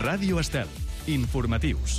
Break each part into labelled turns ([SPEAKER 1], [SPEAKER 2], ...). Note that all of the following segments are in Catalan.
[SPEAKER 1] Ràdio Estel. Informatius.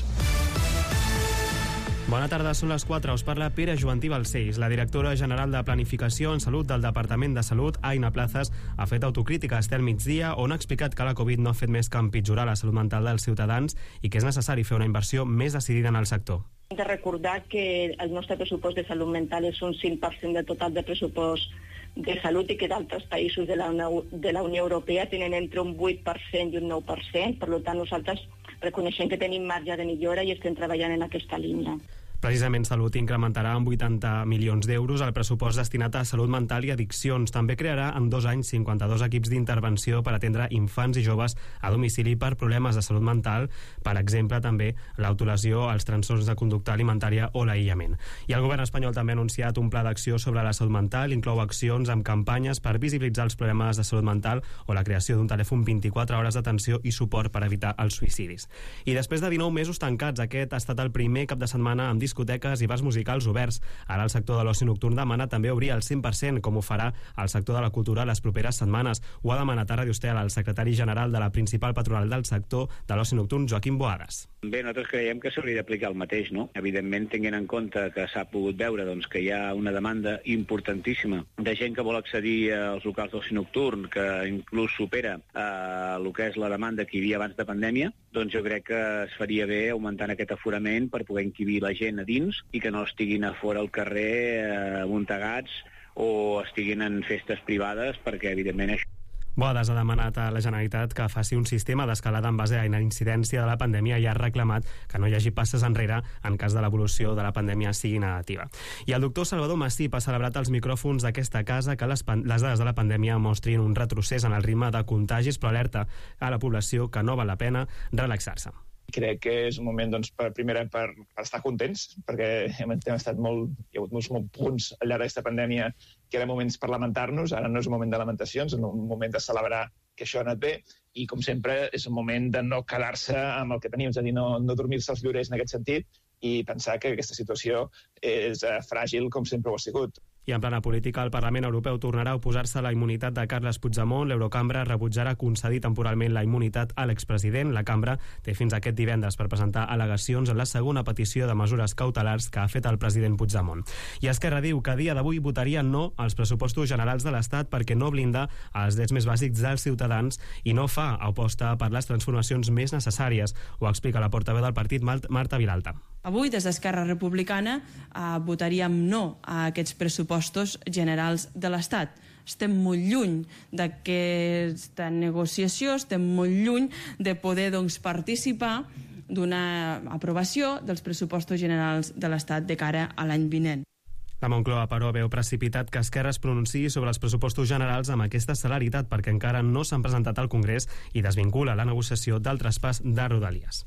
[SPEAKER 2] Bona tarda, són les 4. Us parla Pere Joantí Balcells. La directora general de Planificació en Salut del Departament de Salut, Aina Plazas, ha fet autocrítica a Estel Migdia, on ha explicat que la Covid no ha fet més que empitjorar la salut mental dels ciutadans i que és necessari fer una inversió més decidida en el sector.
[SPEAKER 3] Hem de recordar que el nostre pressupost de salut mental és un 5% del total de pressupost de salut i que d'altres països de la Unió Europea tenen entre un 8% i un 9%. Per tant, nosaltres reconeixem que tenim marge de millora i estem treballant en aquesta línia.
[SPEAKER 2] Precisament Salut incrementarà en 80 milions d'euros el pressupost destinat a salut mental i addiccions. També crearà en 2 anys 52 equips d'intervenció per atendre infants i joves a domicili per problemes de salut mental, per exemple també l'autolesió, els trastorns de conducta alimentària o l'aïllament. I el govern espanyol també ha anunciat un pla d'acció sobre la salut mental, inclou accions amb campanyes per visibilitzar els problemes de salut mental o la creació d'un telèfon 24 hores d'atenció i suport per evitar els suïcidis. I després de 19 mesos tancats, aquest ha estat el primer cap de setmana amb discoteques i bars musicals oberts. Ara el sector de l'oci nocturn demana també obrir al 100%, com ho farà el sector de la cultura les properes setmanes. Ho ha demanat a Ràdio Estel el secretari general de la principal patronal del sector de l'oci nocturn, Joaquim Boadas.
[SPEAKER 4] Bé, nosaltres creiem que s'hauria d'aplicar el mateix, no? Evidentment, tenint en compte que s'ha pogut veure que hi ha una demanda importantíssima de gent que vol accedir als locals d'oci nocturn, que inclús supera el que és la demanda que hi havia abans de pandèmia, doncs jo crec que es faria bé augmentant aquest aforament per poder encabir la gent a dins i que no estiguin a fora al carrer amuntegats o estiguin en festes privades, perquè evidentment això...
[SPEAKER 2] Boadas ha demanat a la Generalitat que faci un sistema d'escalada en base a la incidència de la pandèmia i ha reclamat que no hi hagi passes enrere en cas de l'evolució de la pandèmia sigui negativa. I el doctor Salvador Massip ha celebrat als micròfons d'aquesta casa que les dades de la pandèmia mostrin un retrocés en el ritme de contagis, però alerta a la població que no val la pena relaxar-se.
[SPEAKER 5] Crec que és un moment, per estar contents, perquè hi ha hagut molts punts al llarg d'aquesta pandèmia que eren moments per lamentar-nos. Ara no és un moment de lamentacions, és un moment de celebrar que això ha anat bé, i com sempre és un moment de no quedar-se amb el que tenim, és a dir, no dormir-se els llorers en aquest sentit i pensar que aquesta situació és fràgil com sempre ho ha sigut.
[SPEAKER 2] I en plana política, el Parlament Europeu tornarà a oposar-se a la immunitat de Carles Puigdemont. L'Eurocambra rebutjarà concedir temporalment la immunitat a l'expresident. La cambra té fins aquest divendres per presentar al·legacions en la segona petició de mesures cautelars que ha fet el president Puigdemont. I Esquerra diu que a dia d'avui votaria no als pressupostos generals de l'Estat perquè no blinda els drets més bàsics dels ciutadans i no fa aposta per les transformacions més necessàries. Ho explica la portaveu del partit, Marta Vilalta.
[SPEAKER 6] Avui, des d'Esquerra Republicana, votaríem no a aquests pressupostos generals de l'Estat. Estem molt lluny d'aquesta negociació, estem molt lluny de poder participar d'una aprovació dels pressupostos generals de l'Estat de cara a l'any vinent.
[SPEAKER 2] La Moncloa, però, veu precipitat que Esquerra es pronunciï sobre els pressupostos generals amb aquesta celeritat perquè encara no s'han presentat al Congrés i desvincula la negociació del traspàs de Rodalies.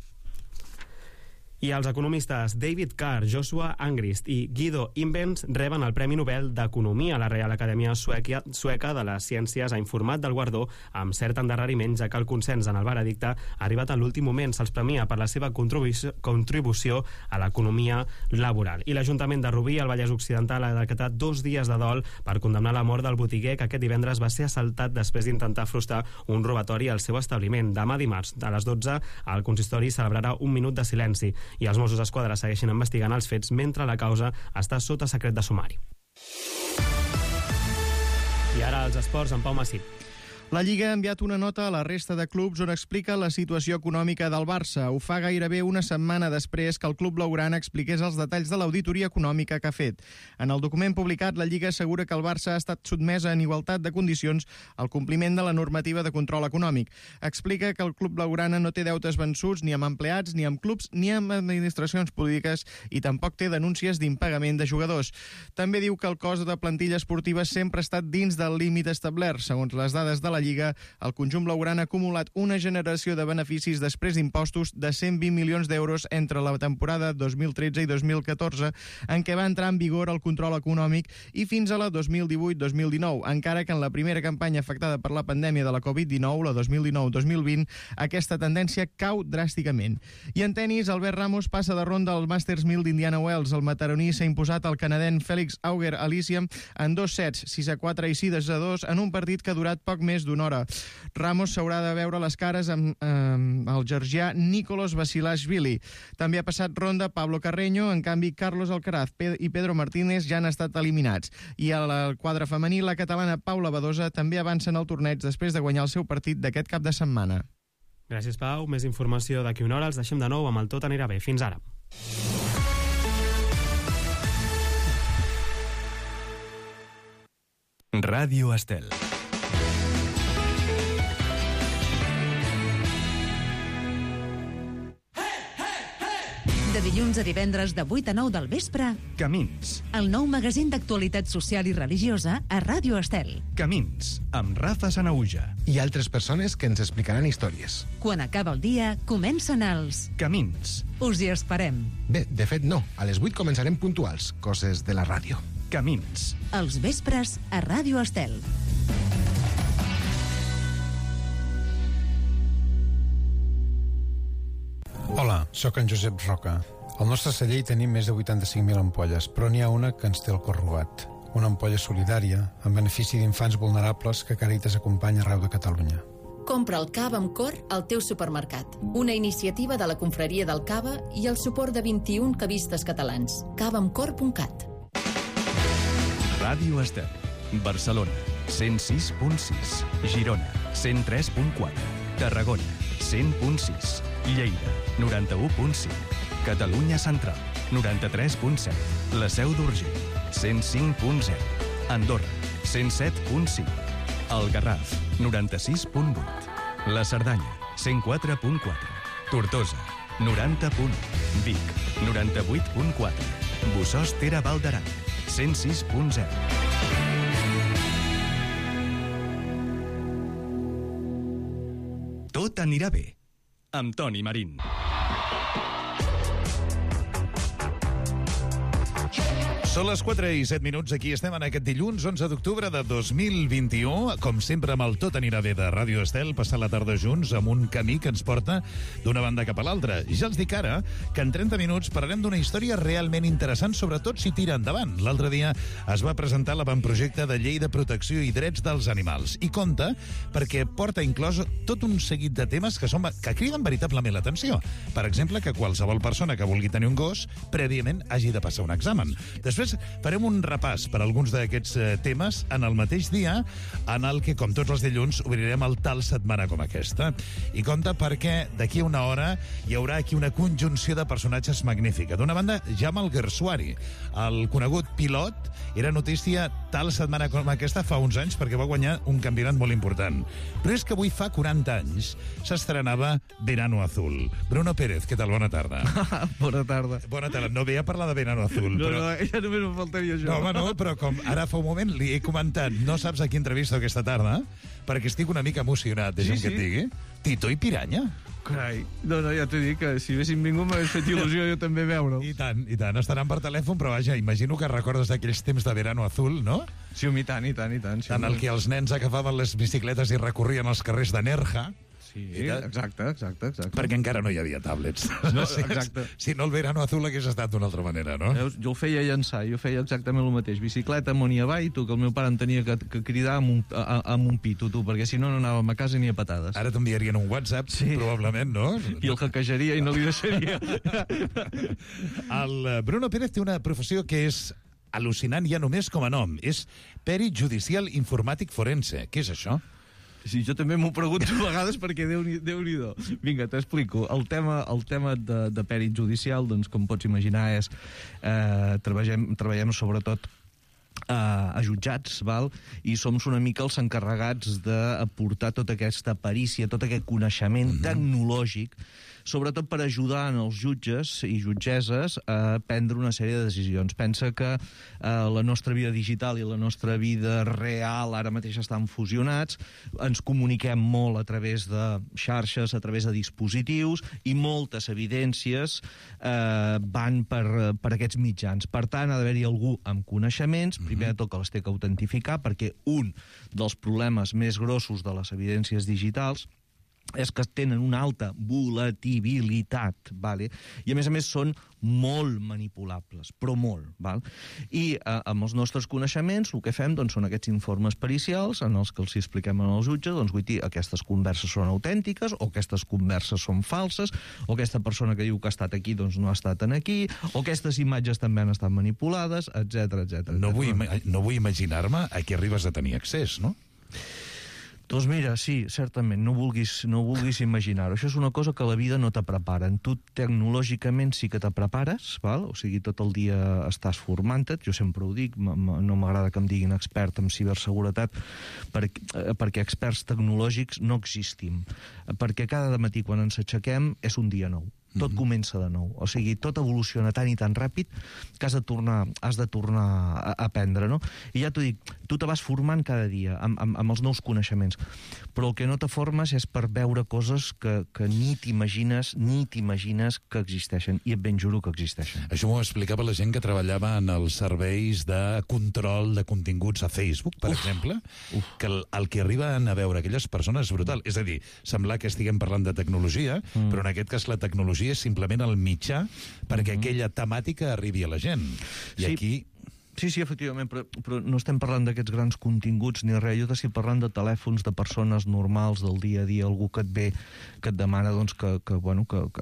[SPEAKER 2] I els economistes David Carr, Joshua Angrist i Guido Imbens reben el Premi Nobel d'Economia. La Reial Acadèmia Sueca de les Ciències ha informat del guardó amb cert endarreriment, ja que el consens en el veredicte ha arribat en l'últim moment. Se'ls premia per la seva contribució a l'economia laboral. I l'Ajuntament de Rubí, al Vallès Occidental, ha decretat 2 dies de dol per condemnar la mort del botiguer que aquest divendres va ser assaltat després d'intentar frustrar un robatori al seu establiment. Demà dimarts, a les 12, el consistori celebrarà un minut de silenci i els Mossos d'Esquadra segueixen investigant els fets mentre la causa està sota secret de sumari. I ara els esports amb Pau Massip.
[SPEAKER 7] La Lliga ha enviat una nota a la resta de clubs on explica la situació econòmica del Barça. Ho fa gairebé una setmana després que el club blaugrana expliqués els detalls de l'auditoria econòmica que ha fet. En el document publicat, la Lliga assegura que el Barça ha estat sotmesa en igualtat de condicions al compliment de la normativa de control econòmic. Explica que el club blaugrana no té deutes vençuts ni amb empleats, ni amb clubs, ni amb administracions públiques i tampoc té denúncies d'impagament de jugadors. També diu que el cost de plantilla esportiva sempre ha estat dins del límit establert. Segons les dades de la Lliga, el conjunt blaugrana ha acumulat una generació de beneficis després d'impostos de 120 milions d'euros entre la temporada 2013 i 2014, en què va entrar en vigor el control econòmic, i fins a la 2018-2019, encara que en la primera campanya afectada per la pandèmia de la Covid-19, la 2019-2020, aquesta tendència cau dràsticament. I en tenis, Albert Ramos passa de ronda al Masters 1000 d'Indiana Wells. El mataroní s'ha imposat al canadenc Félix Auger-Aliassime en 2 sets, 6-4 i 6-2, en un partit que ha durat poc més d'una hora. Ramos s'haurà de veure les cares amb el georgià Nicolas Basilashvili. També ha passat ronda Pablo Carreño, en canvi Carlos Alcaraz i Pedro Martínez ja han estat eliminats. I a la quadra femení, la catalana Paula Badosa també avança en el torneig després de guanyar el seu partit d'aquest cap de setmana.
[SPEAKER 2] Gràcies, Pau. Més informació d'aquí una hora. Els deixem de nou amb el Tot anirà bé. Fins ara.
[SPEAKER 1] Ràdio Estel.
[SPEAKER 8] De dilluns a divendres de 8 a 9 del vespre,
[SPEAKER 1] Camins.
[SPEAKER 8] el nou magazín d'actualitat social i religiosa a Ràdio Estel.
[SPEAKER 1] Camins, amb Rafa Sanauja.
[SPEAKER 9] I altres persones que ens explicaran històries.
[SPEAKER 8] Quan acaba el dia, comencen els...
[SPEAKER 1] Camins.
[SPEAKER 8] Us hi esperem.
[SPEAKER 9] Bé, de fet no. A les 8 començarem puntuals. Coses de la ràdio.
[SPEAKER 1] Camins.
[SPEAKER 8] Els vespres a Ràdio Estel.
[SPEAKER 10] Hola, sóc en Josep Roca. Al nostre celler hi tenim més de 85.000 ampolles, però n'hi ha una que ens té el cor robat. Una ampolla solidària, en benefici d'infants vulnerables que Càritas acompanya arreu de Catalunya.
[SPEAKER 11] Compra el cava amb cor al teu supermercat. Una iniciativa de la Confraria del Cava i el suport de 21 cavistes catalans. cavaamcor.cat.
[SPEAKER 1] Ràdio Estel. Barcelona, 106.6. Girona, 103.4. Tarragona, 100.6. Lleida, 91.5. Catalunya Central, 93.7. La Seu d'Urgell, 105.0. Andorra, 107.5. El Garraf, 96.8. La Cerdanya, 104.4. Tortosa, 90.1. Vic, 98.4. Bossòst Tere Val d'Aran, 106.0. Tot anirà bé, amb Toni Marín.
[SPEAKER 12] Són les 4 i 7 minuts, aquí estem en aquest dilluns 11 d'octubre de 2021, com sempre amb el Tot anirà bé de Ràdio Estel, passar la tarda junts amb un camí que ens porta d'una banda cap a l'altra. Ja els dic ara que en 30 minuts parlarem d'una història realment interessant, sobretot si tira endavant. L'altre dia es va presentar l'avantprojecte de llei de protecció i drets dels animals, i compta perquè porta inclòs tot un seguit de temes que criden veritablement l'atenció. Per exemple, que qualsevol persona que vulgui tenir un gos prèviament hagi de passar un examen. Després farem un repàs per alguns d'aquests temes en el mateix dia en el que, com tots els dilluns, obrirem el Tal Setmana com aquesta. I compte perquè d'aquí a una hora hi haurà aquí una conjunció de personatges magnífica. D'una banda, Jaume Alguersuari, el conegut pilot, era notícia Tal Setmana com aquesta fa uns anys perquè va guanyar un campionat molt important. Però és que avui fa 40 anys s'estrenava Verano Azul. Bruno Pérez, què tal? Bona tarda.
[SPEAKER 13] Bona tarda.
[SPEAKER 12] Bona tarda. No ve a parlar de Verano Azul.
[SPEAKER 13] No,
[SPEAKER 12] però...
[SPEAKER 13] ja només em faltaria això.
[SPEAKER 12] No, home, no, però com ara fa un moment li he comentat, no saps a qui entrevisto aquesta tarda, perquè estic una mica emocionat, deixa'm que et digui. Tito i Piranya.
[SPEAKER 13] Carai, no, ja t'he dit que si haguessin vingut m'hagués fet il·lusió jo també veure'l.
[SPEAKER 12] I tant, estaran per telèfon, però vaja, imagino que recordes d'aquells temps de Verano Azul, no?
[SPEAKER 13] Sí, i tant. Sí,
[SPEAKER 12] en el que els nens agafaven les bicicletes i recorrien els carrers de Nerja.
[SPEAKER 13] Sí, exacte.
[SPEAKER 12] Perquè encara no hi havia tablets.
[SPEAKER 13] No, exacte.
[SPEAKER 12] Si no, el Verano Azul hagués estat d'una altra manera, no?
[SPEAKER 13] Jo ho feia llançar, jo feia exactament el mateix. Bicicleta amunt i avall, tu, que el meu pare em tenia que cridar amb un pito, tu, perquè si no, no anàvem a casa ni a patades.
[SPEAKER 12] Ara t'enviarien un WhatsApp, sí, probablement, no?
[SPEAKER 13] I el hackejaria i no li deixaria.
[SPEAKER 12] El Bruno Pérez té una professió que és al·lucinant ja només com a nom. És perit judicial informàtic forense. Què és això?
[SPEAKER 13] Sí, jo també m'ho pregunto a vegades perquè Déu-n'hi-do. Vinga, t'explico. El tema de pèrit judicial, doncs, com pots imaginar, és treballem sobretot a jutjats, val? I som una mica els encarregats d'aportar tota aquesta perícia, tot aquest coneixement tecnològic, sobretot per ajudar els jutges i jutgesses a prendre una sèrie de decisions. Pensa que la nostra vida digital i la nostra vida real ara mateix estan fusionats, ens comuniquem molt a través de xarxes, a través de dispositius, i moltes evidències van per aquests mitjans. Per tant, ha d'haver-hi algú amb coneixements, primer de tot que les té que autentificar, perquè un dels problemes més grossos de les evidències digitals és que tenen una alta volatilitat, vale? I a més són molt manipulables, però molt. Val? I amb els nostres coneixements el que fem doncs, són aquests informes pericials en els que els expliquem al jutge doncs, vull dir, aquestes converses són autèntiques o aquestes converses són falses o aquesta persona que diu que ha estat aquí doncs, no ha estat aquí o aquestes imatges també han estat manipulades, etc.
[SPEAKER 12] No vull imaginar-me a què arribes a tenir accés, no?
[SPEAKER 13] Doncs mira, sí, certament, no vulguis imaginar-ho. Això és una cosa que la vida no te prepara. Tu tecnològicament sí que te prepares, val? O sigui, tot el dia estàs formant-te, jo sempre ho dic, no m'agrada que em diguin expert en ciberseguretat, perquè experts tecnològics no existim. Perquè cada matí quan ens aixequem és un dia nou. Tot comença de nou. O sigui, tot evoluciona tan i tan ràpid que has de tornar a aprendre, no? I ja t'ho dic, tu te vas formant cada dia amb els nous coneixements, però el que no te formes és per veure coses que ni t'imagines que existeixen, i et ben juro que existeixen.
[SPEAKER 12] Això m'ho explicava la gent que treballava en els serveis de control de continguts a Facebook, per exemple, que el que arriben a veure aquelles persones és brutal. És a dir, semblar que estiguem parlant de tecnologia, però en aquest cas la tecnologia és simplement el mitjà perquè aquella temàtica arribi a la gent. I
[SPEAKER 13] sí.
[SPEAKER 12] aquí...
[SPEAKER 13] Sí, efectivament, però no estem parlant d'aquests grans continguts ni res. Jo t'estic parlant de telèfons, de persones normals del dia a dia, algú que et ve, que et demana doncs, que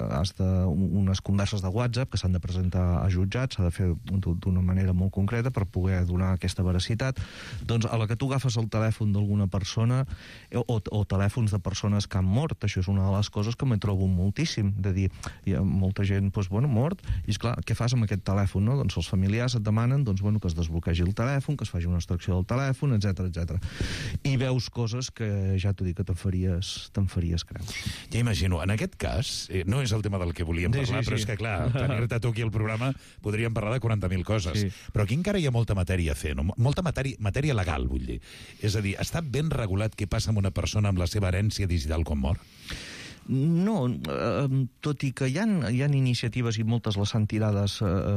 [SPEAKER 13] has unes converses de WhatsApp que s'han de presentar a jutjats, s'ha de fer d'una manera molt concreta per poder donar aquesta veracitat. Doncs a la que tu agafes el telèfon d'alguna persona o telèfons de persones que han mort, això és una de les coses que me trobo moltíssim, de dir, hi ha molta gent mort, i esclar, què fas amb aquest telèfon? No? Doncs els familiars et demanen que es desbloquegi el telèfon, que es faci una extracció del telèfon, etc. I veus coses que ja t'ho dic que te'n faries creus.
[SPEAKER 12] Ja imagino, en aquest cas, no és el tema del que volíem parlar, però és que, clar, tenir-te tu aquí al programa podríem parlar de 40.000 coses. Sí. Però aquí encara hi ha molta matèria a fer, no? Molta matèria legal, vull dir. És a dir, està ben regulat què passa amb una persona amb la seva herència digital quan mor?
[SPEAKER 13] No, tot i que hi ha iniciatives, i moltes les han tirades,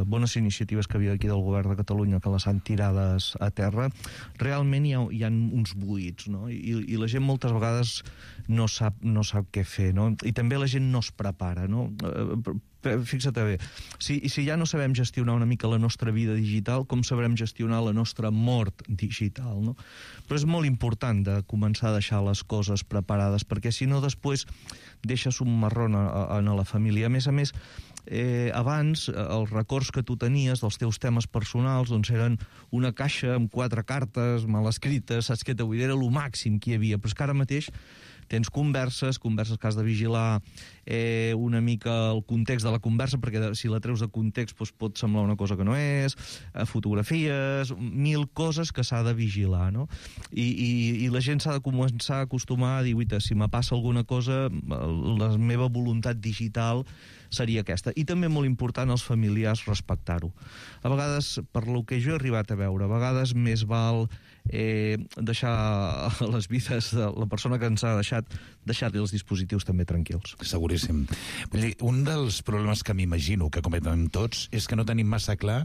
[SPEAKER 13] bones iniciatives que havia aquí del govern de Catalunya, que les han tirades a terra, realment hi ha uns buits, no? I la gent moltes vegades no sap què fer, no? I també la gent no es prepara, no? Fixa't bé, si ja no sabem gestionar una mica la nostra vida digital, com sabrem gestionar la nostra mort digital, no? Però és molt important de començar a deixar les coses preparades, perquè si no després deixes un marrón a la família. A més, abans els records que tu tenies dels teus temes personals doncs eren una caixa amb 4 cartes mal escrites, saps què t'ho vull dir? Era el màxim que hi havia, però és que ara mateix tens converses que has de vigilar una mica el context de la conversa, perquè si la treus de context doncs pot semblar una cosa que no és, fotografies, 1000 coses que s'ha de vigilar, no? I la gent s'ha de començar a acostumar a dir, si me passa alguna cosa, la meva voluntat digital seria aquesta. I també molt important els familiars respectar-ho. A vegades, per lo que jo he arribat a veure, a vegades més val deixar les vides de la persona que ens ha deixar-li els dispositius també tranquils.
[SPEAKER 12] Seguríssim. Vull dir, un dels problemes que m'imagino que cometen tots és que no tenim massa clar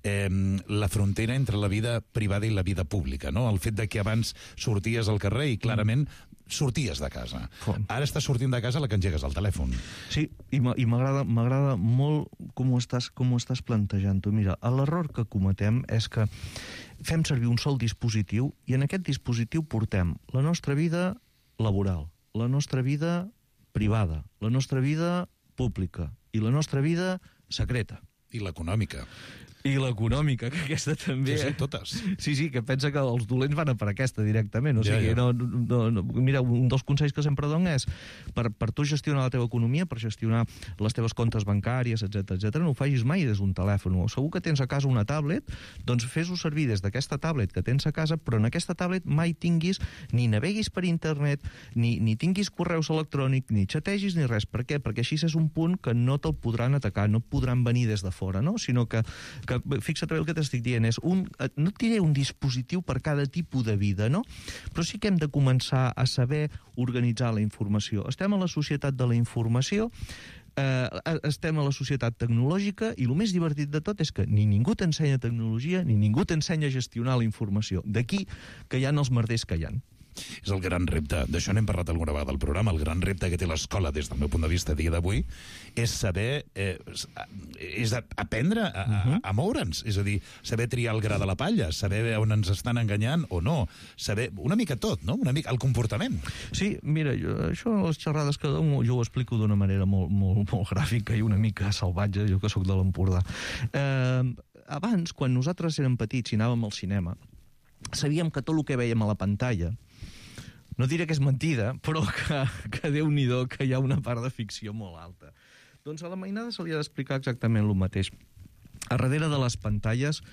[SPEAKER 12] la frontera entre la vida privada i la vida pública, no? El fet de que abans sorties al carrer i clarament sorties de casa. Ara estàs sortint de casa a la que engegues el telèfon.
[SPEAKER 13] Sí, i m'agrada molt com ho estàs plantejant-ho. Mira, l'error que cometem és que fem servir un sol dispositiu i en aquest dispositiu portem la nostra vida laboral, la nostra vida privada, la nostra vida pública i la nostra vida secreta.
[SPEAKER 12] I l'econòmica.
[SPEAKER 13] I l'econòmica, que aquesta també...
[SPEAKER 12] Sí, totes.
[SPEAKER 13] Sí, que pensa que els dolents van a per aquesta directament. O sigui, mira, un dels consells que sempre dono és per tu gestionar la teva economia, per gestionar les teves comptes bancàries, etc, no ho facis mai des d'un telèfon. O segur que tens a casa una tablet, doncs fes-ho servir des d'aquesta tablet que tens a casa, però en aquesta tablet mai tinguis, ni naveguis per internet, ni tinguis correus electrònics, ni xategis, ni res. Per què? Perquè així és un punt que no te'l podran atacar, no podran venir des de fora, no? Sinó que fixa't bé el que t'estic dient, no et diré un dispositiu per cada tipus de vida, no? Però sí que hem de començar a saber organitzar la informació. Estem a la societat de la informació, estem a la societat tecnològica i el més divertit de tot és que ni ningú t'ensenya tecnologia ni ningú t'ensenya a gestionar la informació. D'aquí que hi ha els merders que hi ha.
[SPEAKER 12] és el gran repte. D'això n'hem parlat alguna vegada al programa. El gran repte que té l'escola, des del meu punt de vista a dia d'avui, és saber, és aprendre a moure'ns. És a dir, saber triar el gra de la palla, saber on ens estan enganyant o no, saber una mica tot, no? Una mica el comportament.
[SPEAKER 13] Sí, mira, això a les xerrades que dono jo ho explico d'una manera molt gràfica i una mica salvatge, jo que sóc de l'Empordà. Abans, quan nosaltres érem petits i anàvem al cinema, sabíem que tot el que veiem a la pantalla, no diré que és mentida, però que Déu-n'hi-do, que hi ha una part de ficció molt alta. Doncs a la mainada se li ha d'explicar exactament el mateix. A darrere de les pantalles,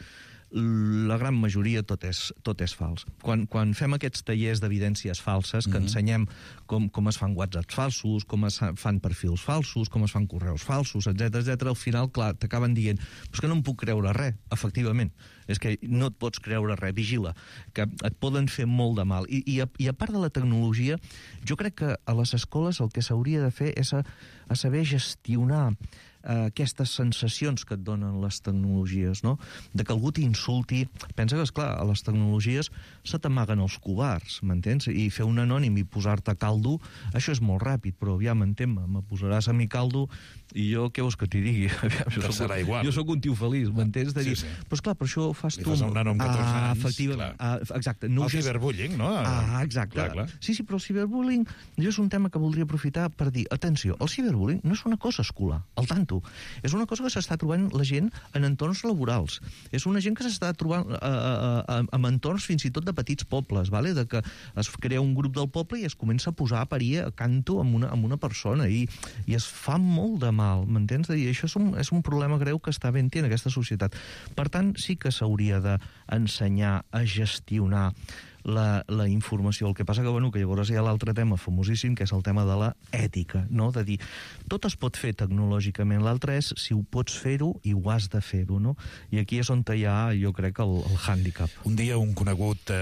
[SPEAKER 13] la gran majoria tot és fals. Quan fem aquests tallers d'evidències falses, que ensenyem com es fan whatsapps falsos, com es fan perfils falsos, com es fan correus falsos, etc, al final, clar, t'acaben dient però és que no em puc creure res, efectivament. És que no et pots creure res, vigila, que et poden fer molt de mal. I a part de la tecnologia, jo crec que a les escoles el que s'hauria de fer és a saber gestionar aquestes sensacions que et donen les tecnologies, no? De que algú t'insulti. Pensa que, esclar, a les tecnologies se t'amaguen els covards, m'entens? I fer un anònim i posar-te caldo, això és molt ràpid, però aviam, entén-me, me posaràs a mi caldo i jo què vols que t'hi digui?
[SPEAKER 12] Serà igual.
[SPEAKER 13] Jo sóc un tio feliç, m'entens? De dir, però esclar, per això ho fas tu.
[SPEAKER 12] Li fas a un nano amb 14 anys,
[SPEAKER 13] efectivament. Exacte.
[SPEAKER 12] El ciberbullying, no?
[SPEAKER 13] Exacte.
[SPEAKER 12] Clar.
[SPEAKER 13] Sí, però el ciberbullying, jo és un tema que voldria aprofitar per dir, atenció, el ciberbullying no és una cosa escolar, al tanto. És una cosa que s'està trobant la gent en entorns laborals. És una gent que s'està trobant en entorns fins i tot de petits pobles, vale? De que es crea un grup del poble i es comença a posar a parir a canto amb una persona i es fa molt de mal, m'entens? I això és un problema greu que està havent-hi en aquesta societat. Per tant, sí que s'hauria d'ensenyar a gestionar la informació. El que passa que, bueno, que llavors hi ha l'altre tema famosíssim, que és el tema de la ètica, no? De dir, tot es pot fer tecnològicament, l'altre és si ho pots fer-ho i ho has de fer-ho, no? I aquí és on hi ha, jo crec, el hàndicap.
[SPEAKER 12] Un dia un conegut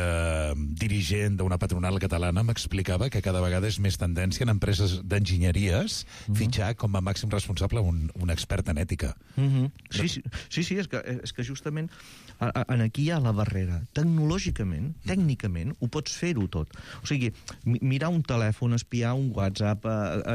[SPEAKER 12] dirigent d'una patronal catalana m'explicava que cada vegada és més tendència en empreses d'enginyeries fitxar com a màxim responsable un expert en ètica.
[SPEAKER 13] Sí, és que justament aquí hi ha la barrera. Tecnològicament, tècnicament, ho pots fer-ho tot. O sigui, mirar un telèfon, espiar un WhatsApp,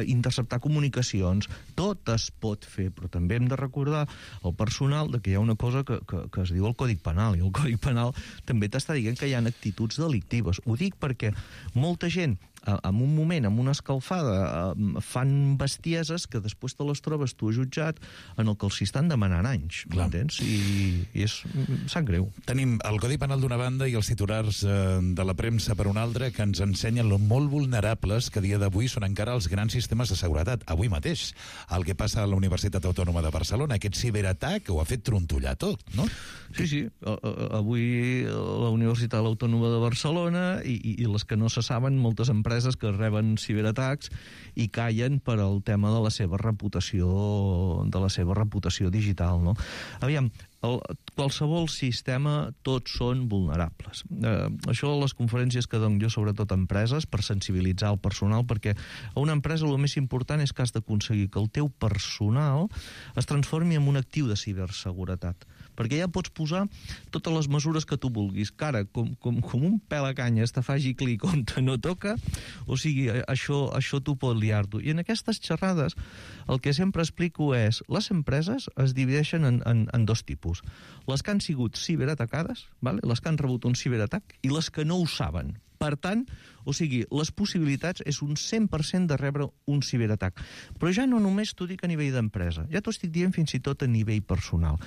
[SPEAKER 13] interceptar comunicacions, tot es pot fer, però també hem de recordar al personal que hi ha una cosa que es diu el Codi Penal, i el Codi Penal també t'està dient que hi ha actituds delictives. Ho dic perquè molta gent en un moment, amb una escalfada, fan bestieses que després te les trobes tu jutjat en el que els estan demanant anys, m'entens? I sap greu.
[SPEAKER 12] Tenim el Codi Penal d'una banda i els titulars de la premsa per una altra que ens ensenyen lo molt vulnerables que a dia d'avui són encara els grans sistemes de seguretat. Avui mateix, el que passa a la Universitat Autònoma de Barcelona, aquest ciberatac ho ha fet trontollar tot, no?
[SPEAKER 13] Sí. Avui la Universitat Autònoma de Barcelona i les que no se saben, moltes empreses que reben ciberatacs i callen per al tema de la seva reputació digital, no? Aviam, qualsevol sistema, tots són vulnerables. Això a les conferències que dono jo, sobretot a empreses, per sensibilitzar el personal, perquè a una empresa el més important és que has d'aconseguir que el teu personal es transformi en un actiu de ciberseguretat, perquè ja pots posar totes les mesures que tu vulguis, que ara, com un pèl a canyes te faci clic on te no toca, o sigui, això tu pot liar-t'ho. I en aquestes xerrades el que sempre explico és, les empreses es divideixen en dos tipus. Les que han sigut ciberatacades, les que han rebut un ciberatac, i les que no ho saben. Per tant, o sigui, les possibilitats és un 100% de rebre un ciberatac. Però ja no només t'ho dic a nivell d'empresa, ja t'ho estic dient fins i tot a nivell personal.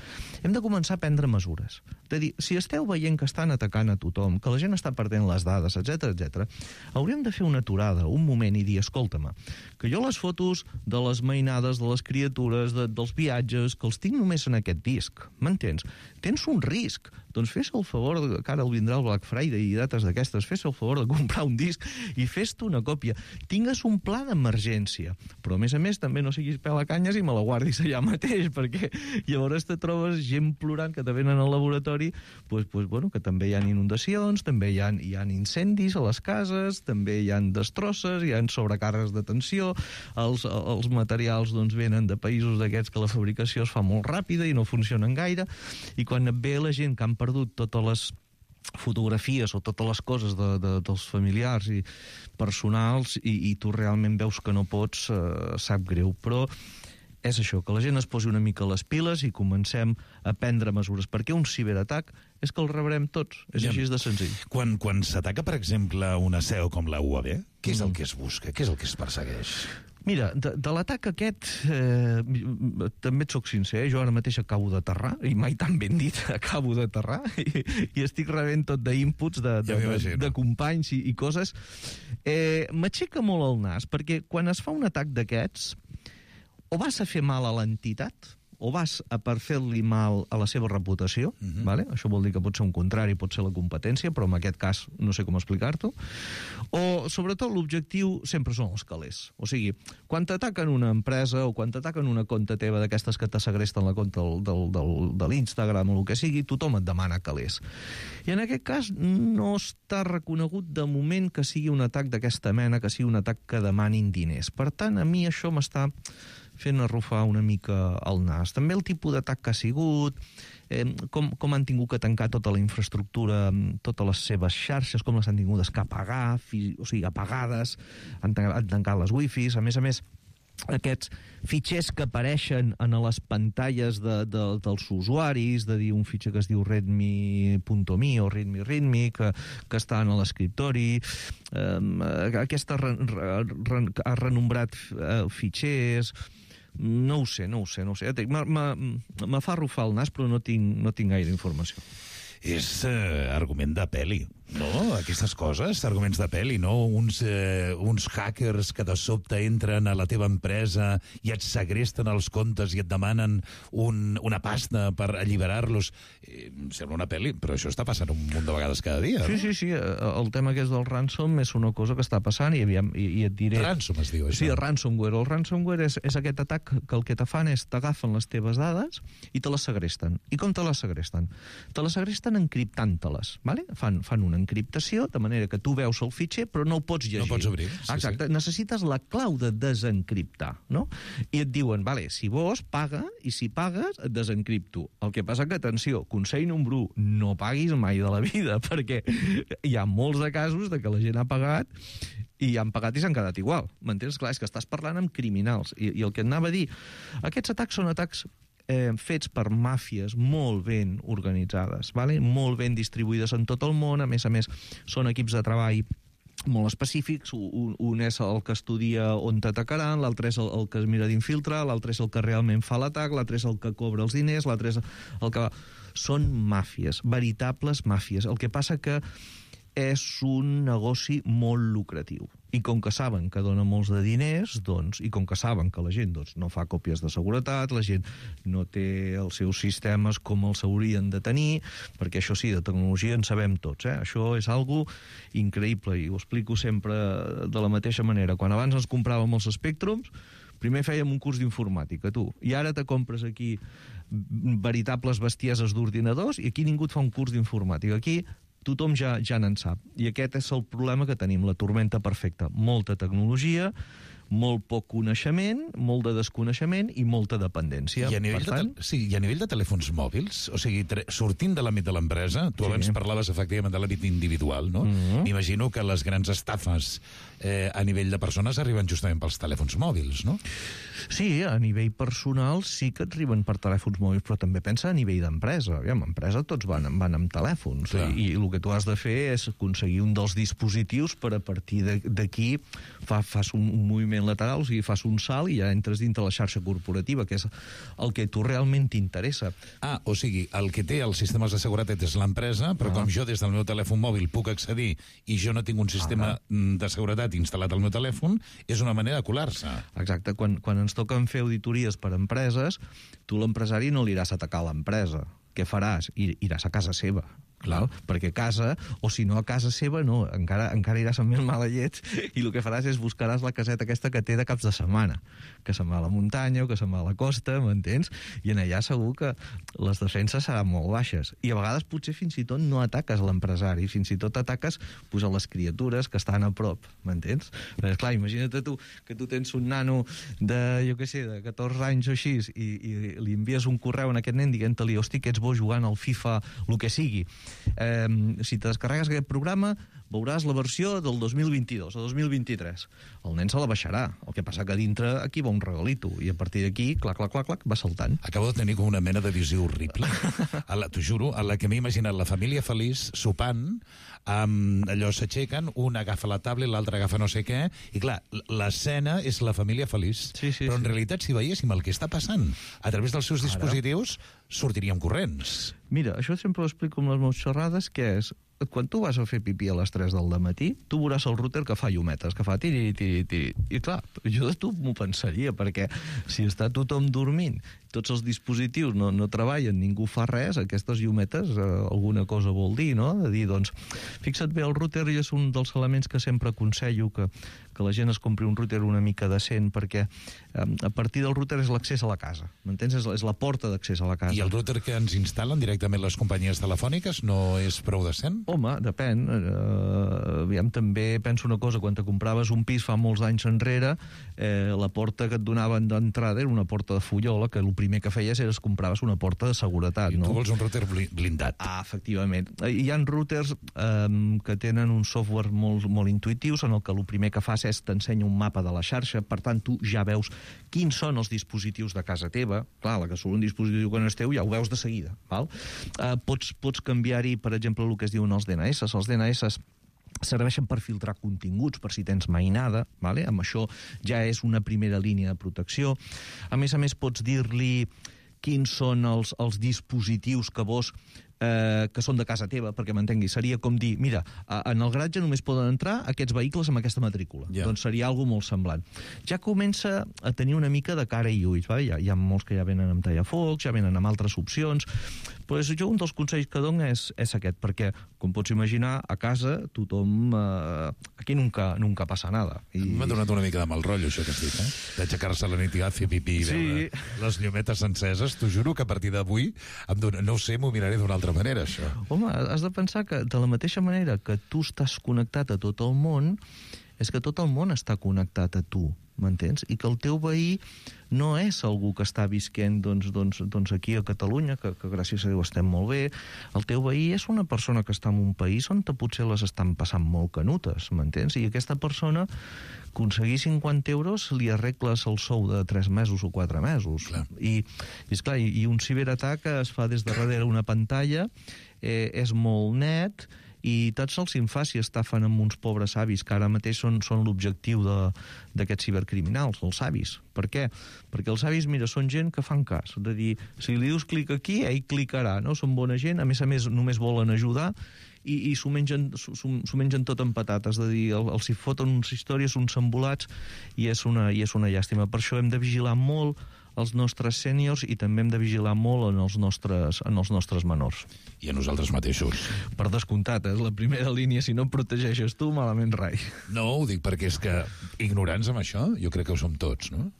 [SPEAKER 13] Hem de començar a prendre mesures. De dir, si esteu veient que estan atacant a tothom, que la gent està perdent les dades, etc, hauríem de fer una aturada, un moment, i dir, escolta-me, que jo les fotos de les mainades, de les criatures, dels viatges, que els tinc només en aquest disc, m'entens? Tens un risc. Doncs fes el favor, que ara vindrà el Black Friday i dates d'aquestes, fes el favor de comprar un disc i fes-te una còpia. Tingues un pla d'emergència, però a més també no siguis pelacanyes i me la guardis allà mateix, perquè llavors te trobes gent plorant que te venen al laboratori, que també hi ha inundacions, també hi ha incendis a les cases, també hi ha destrosses, hi ha sobrecàrregues de tensió, els materials venen de països d'aquests que la fabricació es fa molt ràpida i no funcionen gaire, i quan et ve la gent que han perdut totes fotografies o totes les coses dels familiars i personals i tu realment veus que no pots, sap greu. Però és això, que la gent es posi una mica les piles i comencem a prendre mesures, perquè un ciberatac és que el rebrem tots, és així de senzill.
[SPEAKER 12] Quan s'ataca, per exemple, una seu com la UAB, què és el que es busca? Què és el que es persegueix?
[SPEAKER 13] Mira, de l'atac aquest, també et soc sincer, jo ara mateix acabo d'aterrar, i mai tan ben dit, acabo d'aterrar, i estic rebent tot d'inputs de companys i coses. M'aixeca molt el nas, perquè quan es fa un atac d'aquests, o vas a fer mal a l'entitat, o vas a per fer-li mal a la seva reputació, vale? Això vol dir que pot ser un contrari, pot ser la competència, però en aquest cas no sé com explicar-t'ho, o sobretot l'objectiu sempre són els calés. O sigui, quan t'ataquen una empresa o quan t'ataquen una compte teva d'aquestes que te segresten la compte de l'Instagram o el que sigui, tothom et demana calés. I en aquest cas no està reconegut de moment que sigui un atac d'aquesta mena, que sigui un atac que demanin diners. Per tant, a mi això m'està fent arrufar una mica el nas. També el tipus d'atac que ha sigut, com han tingut que tancar tota la infraestructura, totes les seves xarxes, com les han tingut que apagar, o sigui, apagades, han tancat les wifis, a més, aquests fitxers que apareixen en les pantalles dels usuaris, de dir un fitxer que es diu readme.me o readme, que està en l'escriptori, aquesta ha renombrat fitxers. No ho sé. Me fa arrufar el nas, però no tinc gaire informació.
[SPEAKER 12] És argument de peli, no? Aquestes coses, arguments de peli, no? Uns hackers que de sobte entren a la teva empresa i et segresten els comptes i et demanen una pasta per alliberar-los. Sembla una peli, però això està passant un munt de vegades cada dia, no?
[SPEAKER 13] Sí. El tema que és del ransom és una cosa que està passant i et diré...
[SPEAKER 12] Ransom es diu, això?
[SPEAKER 13] Sí, ransomware. El ransomware és aquest atac que el que te fan és t'agafen les teves dades i te les segresten. I com te les segresten? Te les segresten encriptant-te-les, vale? Fan una encriptació, de manera que tu veus el fitxer, però no el pots llegir.
[SPEAKER 12] No pots obrir.
[SPEAKER 13] Exacte. Necessites la clau de desencriptar, no? I et diuen, vale, si vols, paga, i si pagues, et desencripto. El que passa que, atenció, consell número 1, no paguis mai de la vida, perquè hi ha molts de casos de que la gent ha pagat i han pagat i s'han quedat igual. M'entens? Clar, és que estàs parlant amb criminals. I el que et anava a dir, aquests atacs són atacs fets per màfies molt ben organitzades, vale? Molt ben distribuïdes en tot el món, a més, són equips de treball molt específics, un és el que estudia on t'atacaran, l'altre és el que es mira d'infiltrar, l'altre és el que realment fa l'atac, l'altre és el que cobra els diners, l'altre és el que... Són màfies, veritables màfies. El que passa que és un negoci molt lucratiu. I com que saben que dona molts de diners, i com que saben que la gent no fa còpies de seguretat, la gent no té els seus sistemes com els haurien de tenir, perquè això sí, de tecnologia en sabem tots, Això és algo increïble, i ho explico sempre de la mateixa manera. Quan abans ens compràvem els Spectrums, primer fèiem un curs d'informàtica, tu, i ara te compres aquí veritables bestieses d'ordinadors i aquí ningú et fa un curs d'informàtica. Aquí tothom ja n'en sap. I aquest és el problema que tenim, la tormenta perfecta. Molta tecnologia, molt poc coneixement, molt de desconeixement i molta dependència.
[SPEAKER 12] I a nivell de telèfons mòbils, o sigui, sortint de l'àmbit de l'empresa, tu abans parlaves efectivament de l'àmbit individual, no? M'imagino que les grans estafes a nivell de persones arriben justament pels telèfons mòbils, no?
[SPEAKER 13] Sí, a nivell personal sí que et arriben per telèfons mòbils, però també pensa a nivell d'empresa. Aviam, a empresa tots van amb telèfons, i el que tu has de fer és aconseguir un dels dispositius per a partir d'aquí fas un moviment lateral, o sigui, fas un salt i ja entres dintre la xarxa corporativa, que és el que tu realment t'interessa.
[SPEAKER 12] O sigui, el que té els sistemes de seguretat és l'empresa, però com jo des del meu telèfon mòbil puc accedir i jo no tinc un sistema de seguretat instal·lat al meu telèfon, és una manera de colar-se.
[SPEAKER 13] Exacte. Quan ens toquen fer auditories per empreses, tu l'empresari no li iràs a atacar a l'empresa. Què faràs? Iràs a casa seva. Clar, perquè a casa, o si no a casa seva, no, encara iràs amb més mala llet i el que faràs és buscaràs la caseta aquesta que té de caps de setmana, que se'n va a la muntanya o que se'n va a la costa, m'entens? I en allà segur que les defenses seran molt baixes. I a vegades potser fins i tot no ataques l'empresari, fins i tot ataques a les criatures que estan a prop, m'entens? Perquè, clar, imagina't tu que tu tens un nano de, jo què sé, de 14 anys o així i li envies un correu a aquest nen dient-li, hosti, que ets bo jugant al FIFA, el que sigui, si te descarregues aquest programa, veuràs la versió del 2022 o 2023. El nen se la baixarà. El que passa que dintre aquí va un regalito, i a partir d'aquí, clac, va saltant.
[SPEAKER 12] Acabo de tenir com una mena de visió horrible. T'ho juro, a la que m'he imaginat la família feliç sopant, allò s'aixequen, un agafa la tablet, l'altre agafa no sé què, i clar, l'escena és la família feliç. Però en realitat, si veiéssim el que està passant a través dels seus dispositius, sortiríem corrents.
[SPEAKER 13] Mira, això sempre ho explico amb les meves xerrades, que és, quan tu vas a fer pipí a les 3 del matí, tu veuràs el router que fa llumetes, que fa tiri. I clar, jo de tu m'ho pensaria, perquè si està tothom dormint, tots els dispositius no treballen, ningú fa res, aquestes llumetes alguna cosa vol dir, no? De dir, doncs, fixa't bé, el router és un dels elements que sempre aconsello que la gent es compri un router una mica decent, perquè a partir del router és l'accés a la casa, m'entens? És la porta d'accés a la casa.
[SPEAKER 12] I el router que ens instal·len directament les companyies telefòniques no és prou decent?
[SPEAKER 13] Home, depèn. Aviam, també penso una cosa, quan te compraves un pis fa molts anys enrere, la porta que et donaven d'entrada era una porta de fullola, que el primer que feies era compraves una porta de seguretat.
[SPEAKER 12] I tu vols un router blindat.
[SPEAKER 13] Efectivament. Hi ha routers que tenen un software molt intuitius, en el que el primer que fas és t'ensenya un mapa de la xarxa, per tant tu ja veus quins són els dispositius de casa teva. Clar, la que surt un dispositiu que no és teu ja ho veus de seguida. Val? Pots canviar-hi, per exemple, el que es diuen els DNS. Els DNS serveixen per filtrar continguts, per si tens mainada, vale? Amb això ja és una primera línia de protecció. A més, pots dir-li quins són els dispositius que són de casa teva, perquè m'entengui. Seria com dir, mira, en el garatge només poden entrar aquests vehicles amb aquesta matrícula. Doncs seria alguna molt semblant. Ja comença a tenir una mica de cara i ulls. Hi ha molts que ja venen amb tallafocs, ja venen amb altres opcions. Però jo un dels consells que dono és aquest, perquè, com pots imaginar, a casa tothom... Aquí nunca passa nada.
[SPEAKER 12] M'ha donat una mica de mal rotllo, això que has dit, d'aixecar-se a la nit i fer pipí i veure les llumetes enceses. T'ho juro que a partir d'avui, no ho sé, m'ho miraré d'una altra manera, això.
[SPEAKER 13] Home, has de pensar que de la mateixa manera que tu estàs connectat a tot el món, és que tot el món està connectat a tu, m'entens? I que el teu veí no és algú que està visquent doncs aquí a Catalunya, que gràcies a Déu estem molt bé. El teu veí és una persona que està en un país on potser les estan passant molt canutes, m'entens? I aquesta persona, aconseguir 50 euros, li arregles el sou de 3 mesos o 4 mesos. Clar. I un ciberatac es fa des de darrere una pantalla, és molt net, i tot se'ls fa si estafen amb uns pobres avis, que ara mateix són l'objectiu d'aquests cibercriminals, els avis. Per què? Perquè els avis, mira, són gent que fan cas. És a dir, si li dius clic aquí, ell clicarà, no? Són bona gent, a més, només volen ajudar, i s'ho mengen tot en patates. És a dir, els hi foten unes històries, uns embolats, i és una llàstima. Per això hem de vigilar molt els nostres sèniors i també hem de vigilar molt en els nostres menors.
[SPEAKER 12] I a nosaltres mateixos.
[SPEAKER 13] Per descomptat, és la primera línia. Si no et protegeixes tu, malament rai.
[SPEAKER 12] No, ho dic perquè és que ignorants amb això, jo crec que ho som tots, no?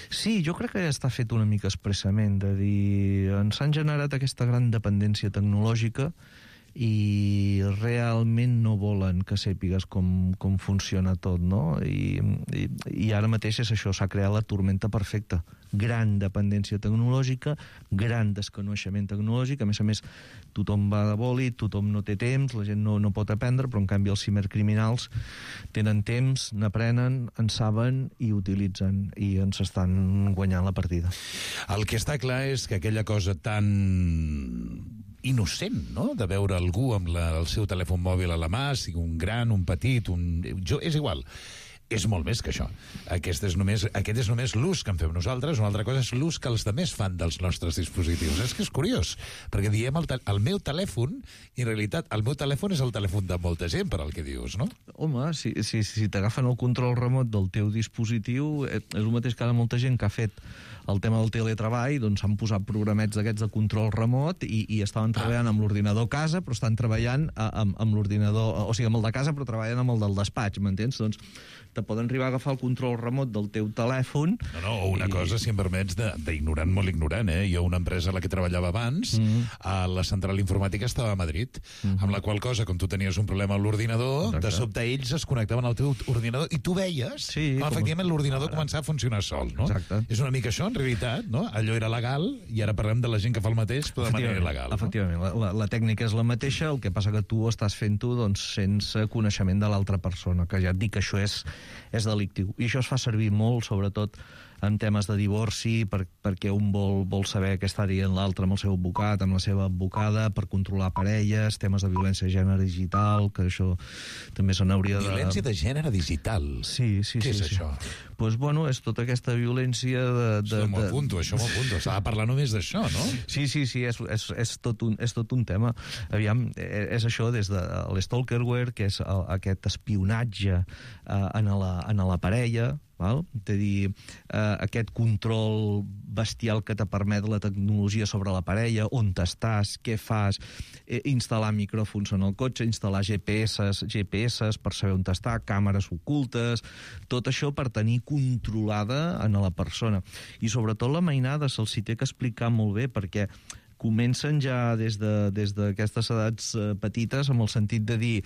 [SPEAKER 13] Sí, jo crec que ja està fet una mica expressament, de dir, ens han generat aquesta gran dependència tecnològica i realment no volen que sàpigues com funciona tot, no? I ara mateix és això, s'ha creat la tormenta perfecta. Gran dependència tecnològica, gran desconeixement tecnològic, a més, tothom va de bòlit, tothom no té temps, la gent no pot aprendre, però en canvi els cibercriminals tenen temps, n'aprenen, en saben i utilitzen, i ens estan guanyant la partida.
[SPEAKER 12] El que està clar és que aquella cosa tan innocent, no?, de veure algú amb el seu telèfon mòbil a la mà, sigui un gran, un petit, és igual. És molt més que això. Aquest és només l'ús que en fem nosaltres, una altra cosa és l'ús que els altres fan dels nostres dispositius. És que és curiós, perquè diem el meu telèfon, i en realitat el meu telèfon és el telèfon de molta gent, per al que dius, no?
[SPEAKER 13] Home, si t'agafen el control remot del teu dispositiu, és el mateix que ara molta gent que ha fet el tema del teletreball, doncs han posat programets d'aquests de control remot i estaven treballant amb l'ordinador a casa, però estan treballant amb l'ordinador, o sigui, amb el de casa, però treballen amb el del despatx, m'entens? Doncs te poden arribar a agafar el control remot del teu telèfon.
[SPEAKER 12] O una cosa, si em permets, d'ignorant, molt ignorant, Jo, una empresa a la que treballava abans, a la central informàtica estava a Madrid, amb la qual cosa, com tu tenies un problema amb l'ordinador, de sobte ells es connectaven al teu ordinador i tu veies com efectivament l'ordinador començava a funcionar sol, no?
[SPEAKER 13] Exacte.
[SPEAKER 12] És una mica això, en realitat, no? Allò era legal i ara parlem de la gent que fa el mateix, però de manera il·legal.
[SPEAKER 13] Efectivament, la tècnica és la mateixa, el que passa que tu estàs fent-ho sense coneixement de l'altra persona, que ja et dic que això és delictiu. I això es fa servir molt, sobretot, en temes de divorci, perquè un vol saber què està dient l'altre amb el seu advocat, amb la seva advocada, per controlar parelles, temes de violència de gènere digital, que això també se n'hauria de...
[SPEAKER 12] Violència de gènere digital?
[SPEAKER 13] Sí.
[SPEAKER 12] Què és això?
[SPEAKER 13] Doncs, bueno, és tota aquesta violència
[SPEAKER 12] Això m'ho apunto. S'ha de parlar només d'això, no?
[SPEAKER 13] Sí, és tot un tema. Aviam, és això des de l'stalkerware, que és aquest espionatge en la parella, val? És a dir, aquest control bestial que te permet la tecnologia sobre la parella, on t'estàs, què fas, instal·lar micròfons en el cotxe, instal·lar GPS per saber on t'està, càmeres ocultes, tot això per tenir controlada en la persona. I sobretot la mainada se'ls té que explicar molt bé, perquè comencen ja des d'aquestes edats petites amb el sentit de dir,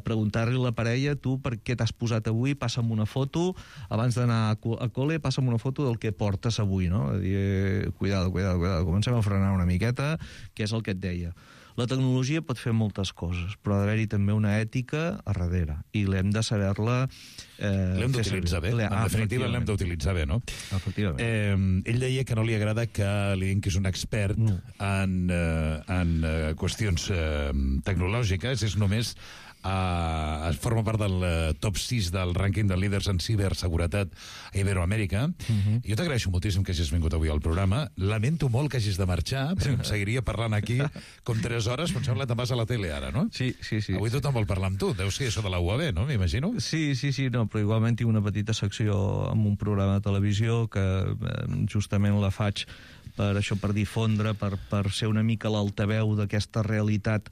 [SPEAKER 13] preguntar-li a la parella, tu per què t'has posat avui, passa'm una foto, abans d'anar a col·le, passa'm una foto del que portes avui, no? Dir, cuidado, comencem a frenar una miqueta, que és el que et deia. La tecnologia pot fer moltes coses, però ha d'haver-hi també una ètica a darrere, i l'hem de saber-la
[SPEAKER 12] l'hem d'utilitzar bé. En definitiva, l'hem d'utilitzar bé, no?
[SPEAKER 13] Efectivament.
[SPEAKER 12] Ell deia que no li agrada que li diguin que és un expert en qüestions tecnològiques, és només forma part del top 6 del rànquing de líders en ciberseguretat a Iberoamèrica. Jo t'agraeixo moltíssim que hagis vingut avui al programa. Lamento molt que hagis de marxar, perquè em seguiria parlant aquí com 3 hores, però em sembla que te'n vas a la tele ara, no?
[SPEAKER 13] Sí.
[SPEAKER 12] Avui tothom vol parlar amb tu. Deu ser això de la UAB, no? M'imagino.
[SPEAKER 13] Sí, no, però igualment tinc una petita secció amb un programa de televisió que justament la faig per difondre, per ser una mica l'altaveu d'aquesta realitat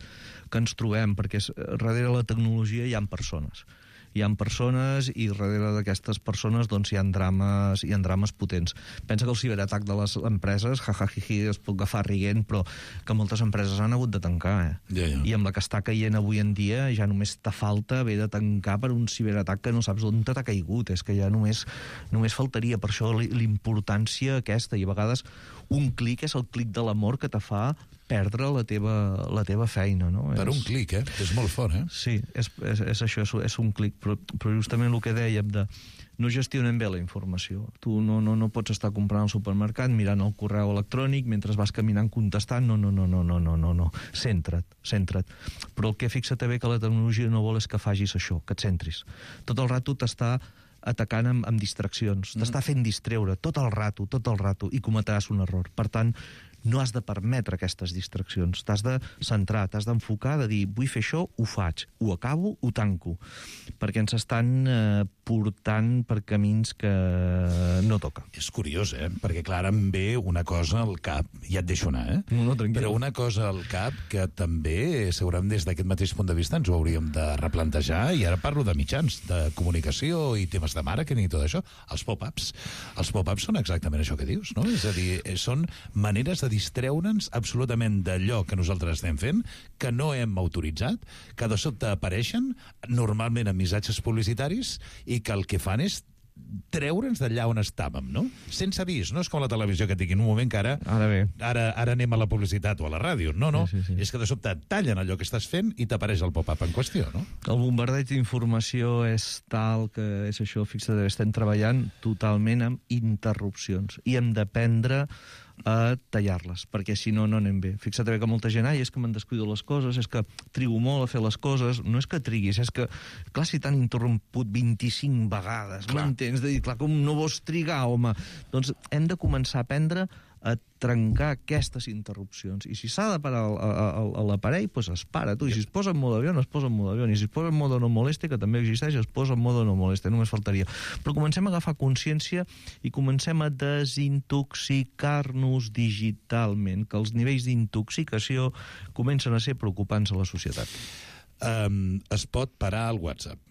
[SPEAKER 13] que ens trobem, perquè darrere la tecnologia hi ha persones. Hi ha persones i darrere d'aquestes persones doncs, hi ha drames potents. Pensa que el ciberatac de les empreses, jajajiji, es pot agafar rient, però que moltes empreses han hagut de tancar. I amb la que està caient avui en dia ja només te falta haver de tancar per un ciberatac que no saps on t'ha caigut. És que ja només faltaria. Per això l'importància aquesta, i a vegades un clic és el clic de l'amor que te fa perdre la teva feina, no?
[SPEAKER 12] Per un clic, És molt fort,
[SPEAKER 13] Sí, és això, és un clic, però justament el que dèiem de no gestionen bé la informació. Tu no pots estar comprant al supermercat, mirant el correu electrònic, mentre vas caminant contestant, no. Centra't. Però el que fixa't bé que la tecnologia no vol és que facis això, que et centris. Tot el rato t'està atacant amb distraccions, t'està fent distreure tot el rato, i cometràs un error. Per tant, no has de permetre aquestes distraccions, t'has de centrar, t'has d'enfocar, de dir, vull fer això, ho faig, ho acabo, ho tanco, perquè ens estan portant per camins que no toca.
[SPEAKER 12] És curiós, perquè clar, ara em ve una cosa al cap, ja et deixo anar,
[SPEAKER 13] No, tranquil.
[SPEAKER 12] Però una cosa al cap que també, segurament des d'aquest mateix punt de vista, ens ho hauríem de replantejar, i ara parlo de mitjans de comunicació i temes de màrqueting i tot això, els pop-ups. Els pop-ups són exactament això que dius, no? És a dir, són maneres de distreure'ns absolutament d'allò que nosaltres estem fent, que no hem autoritzat, que de sobte apareixen, normalment en missatges publicitaris, i que el que fan és treure'ns d'allà on estàvem, no? Sense avís, no és com la televisió que et diguin un moment que ara anem a la publicitat o a la ràdio. No.
[SPEAKER 13] Sí.
[SPEAKER 12] És que de sobte tallen allò que estàs fent i t'apareix el pop-up en qüestió, no?
[SPEAKER 13] El bombardeig d'informació és tal que és això, fixa't, estem treballant totalment amb interrupcions i hem d'aprendre a tallar-les, perquè si no anem bé. Fixa't bé que molta gent, és que me'n descuido les coses, és que trigo molt a fer les coses. No és que triguis, és que, clar, si t'han interromput 25 vegades, m'entens? De dir, clar, com no vols trigar, home? Doncs hem de començar a aprendre a trencar aquestes interrupcions. I si s'ha de parar l'aparell, doncs es para. I si es posa en modo avió, es posa en modo avió. I si es posa en modo no moleste, que també existeix, es posa en modo no moleste. Només faltaria. Però comencem a agafar consciència i comencem a desintoxicar-nos digitalment, que els nivells d'intoxicació comencen a ser preocupants a la societat.
[SPEAKER 12] Es pot parar el WhatsApp.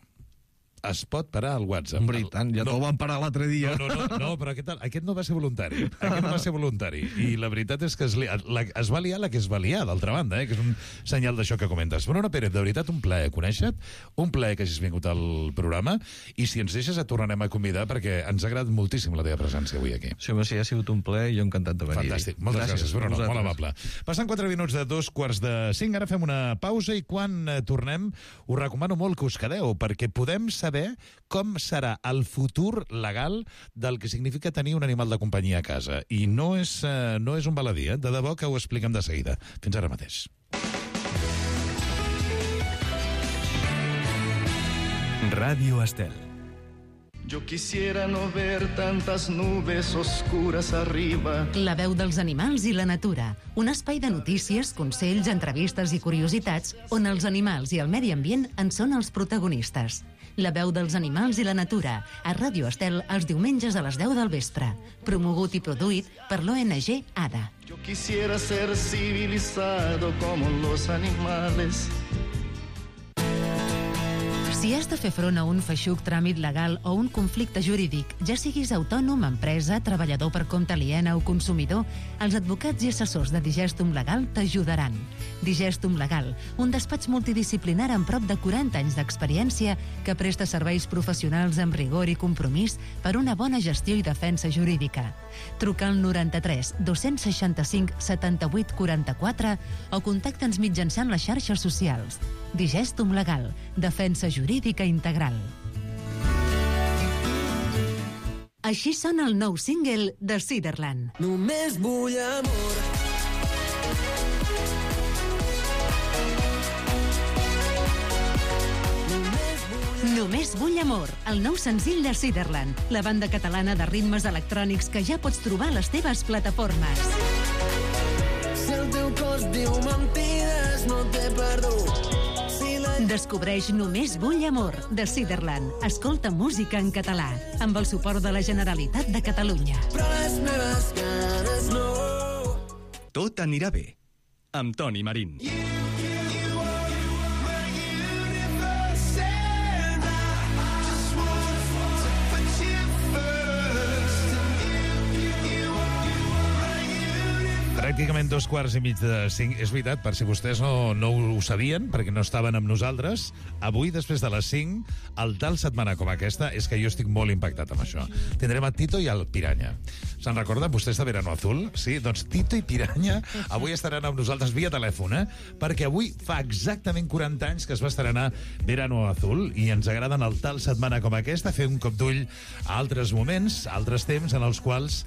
[SPEAKER 12] es pot parar el WhatsApp.
[SPEAKER 13] Hombre, i tant, ja te'l van parar l'altre dia.
[SPEAKER 12] No, però aquest no va ser voluntari. I la veritat és que es va liar la que es va liar, d'altra banda, que és un senyal d'això que comentes. Bruna Pérez, de veritat, un plaer conèixer-te, un plaer que hagis vingut al programa, i si ens deixes et tornarem a convidar perquè ens ha agradat moltíssim la teva presència avui aquí.
[SPEAKER 13] Sí, home, sí, ha sigut un plaer i jo encantat de venir.
[SPEAKER 12] Fantàstic, moltes gràcies, Bruno, molt amable. Passant 4 minuts de 2:45, ara fem una pausa i quan tornem us recomano molt que us quedeu, perquè podem saber com serà el futur legal del que significa tenir un animal de companyia a casa. I no és un baladí, de debò que ho expliquem de seguida. Fins ara mateix.
[SPEAKER 1] Ràdio Estel.
[SPEAKER 14] Yo quisiera no ver tantas nubes oscuras arriba.
[SPEAKER 8] La veu dels animals i la natura. Un espai de notícies, consells, entrevistes i curiositats on els animals i el medi ambient en són els protagonistes. La veu dels animals i la natura, a Ràdio Estel els diumenges a les 10 del vespre. Promogut i produït per l'ONG ADA.
[SPEAKER 14] Yo quisiera ser civilizado como los animales.
[SPEAKER 8] Si has de fer front a un feixuc tràmit legal o un conflicte jurídic, ja siguis autònom, empresa, treballador per compte aliena o consumidor, els advocats i assessors de Digestum Legal t'ajudaran. Digestum Legal, un despatx multidisciplinar amb prop de 40 anys d'experiència que presta serveis professionals amb rigor i compromís per una bona gestió i defensa jurídica. Truca al 93 265 78 44 o contacta'ns mitjançant les xarxes socials. Digestum Legal, defensa jurídica integral. Així sona el nou single de Cedarland.
[SPEAKER 15] Només vull amor.
[SPEAKER 8] Només vull amor, el nou senzill de Cedarland, la banda catalana de ritmes electrònics que ja pots trobar a les teves plataformes.
[SPEAKER 15] Si el teu cos diu mentides, no t'he perdut.
[SPEAKER 8] Descobreix Només vull amor, de Cedarland. Escolta música en català, amb el suport de la Generalitat de Catalunya.
[SPEAKER 15] Però les meves cares no.
[SPEAKER 1] Tot anirà bé, amb Toni Marín.
[SPEAKER 12] Pràcticament 4:45. És veritat, per si vostès no ho sabien, perquè no estaven amb nosaltres, avui, després de les 5, el tal setmana com aquesta, és que jo estic molt impactat amb això. Tindrem a Tito i el Piranya. Se'n recorden vostès de Verano Azul? Sí, doncs Tito i Piranya avui estaran amb nosaltres via telèfon, perquè avui fa exactament 40 anys que es va estrenar Verano Azul i ens agraden el tal setmana com aquesta, fer un cop d'ull a altres moments, altres temps en els quals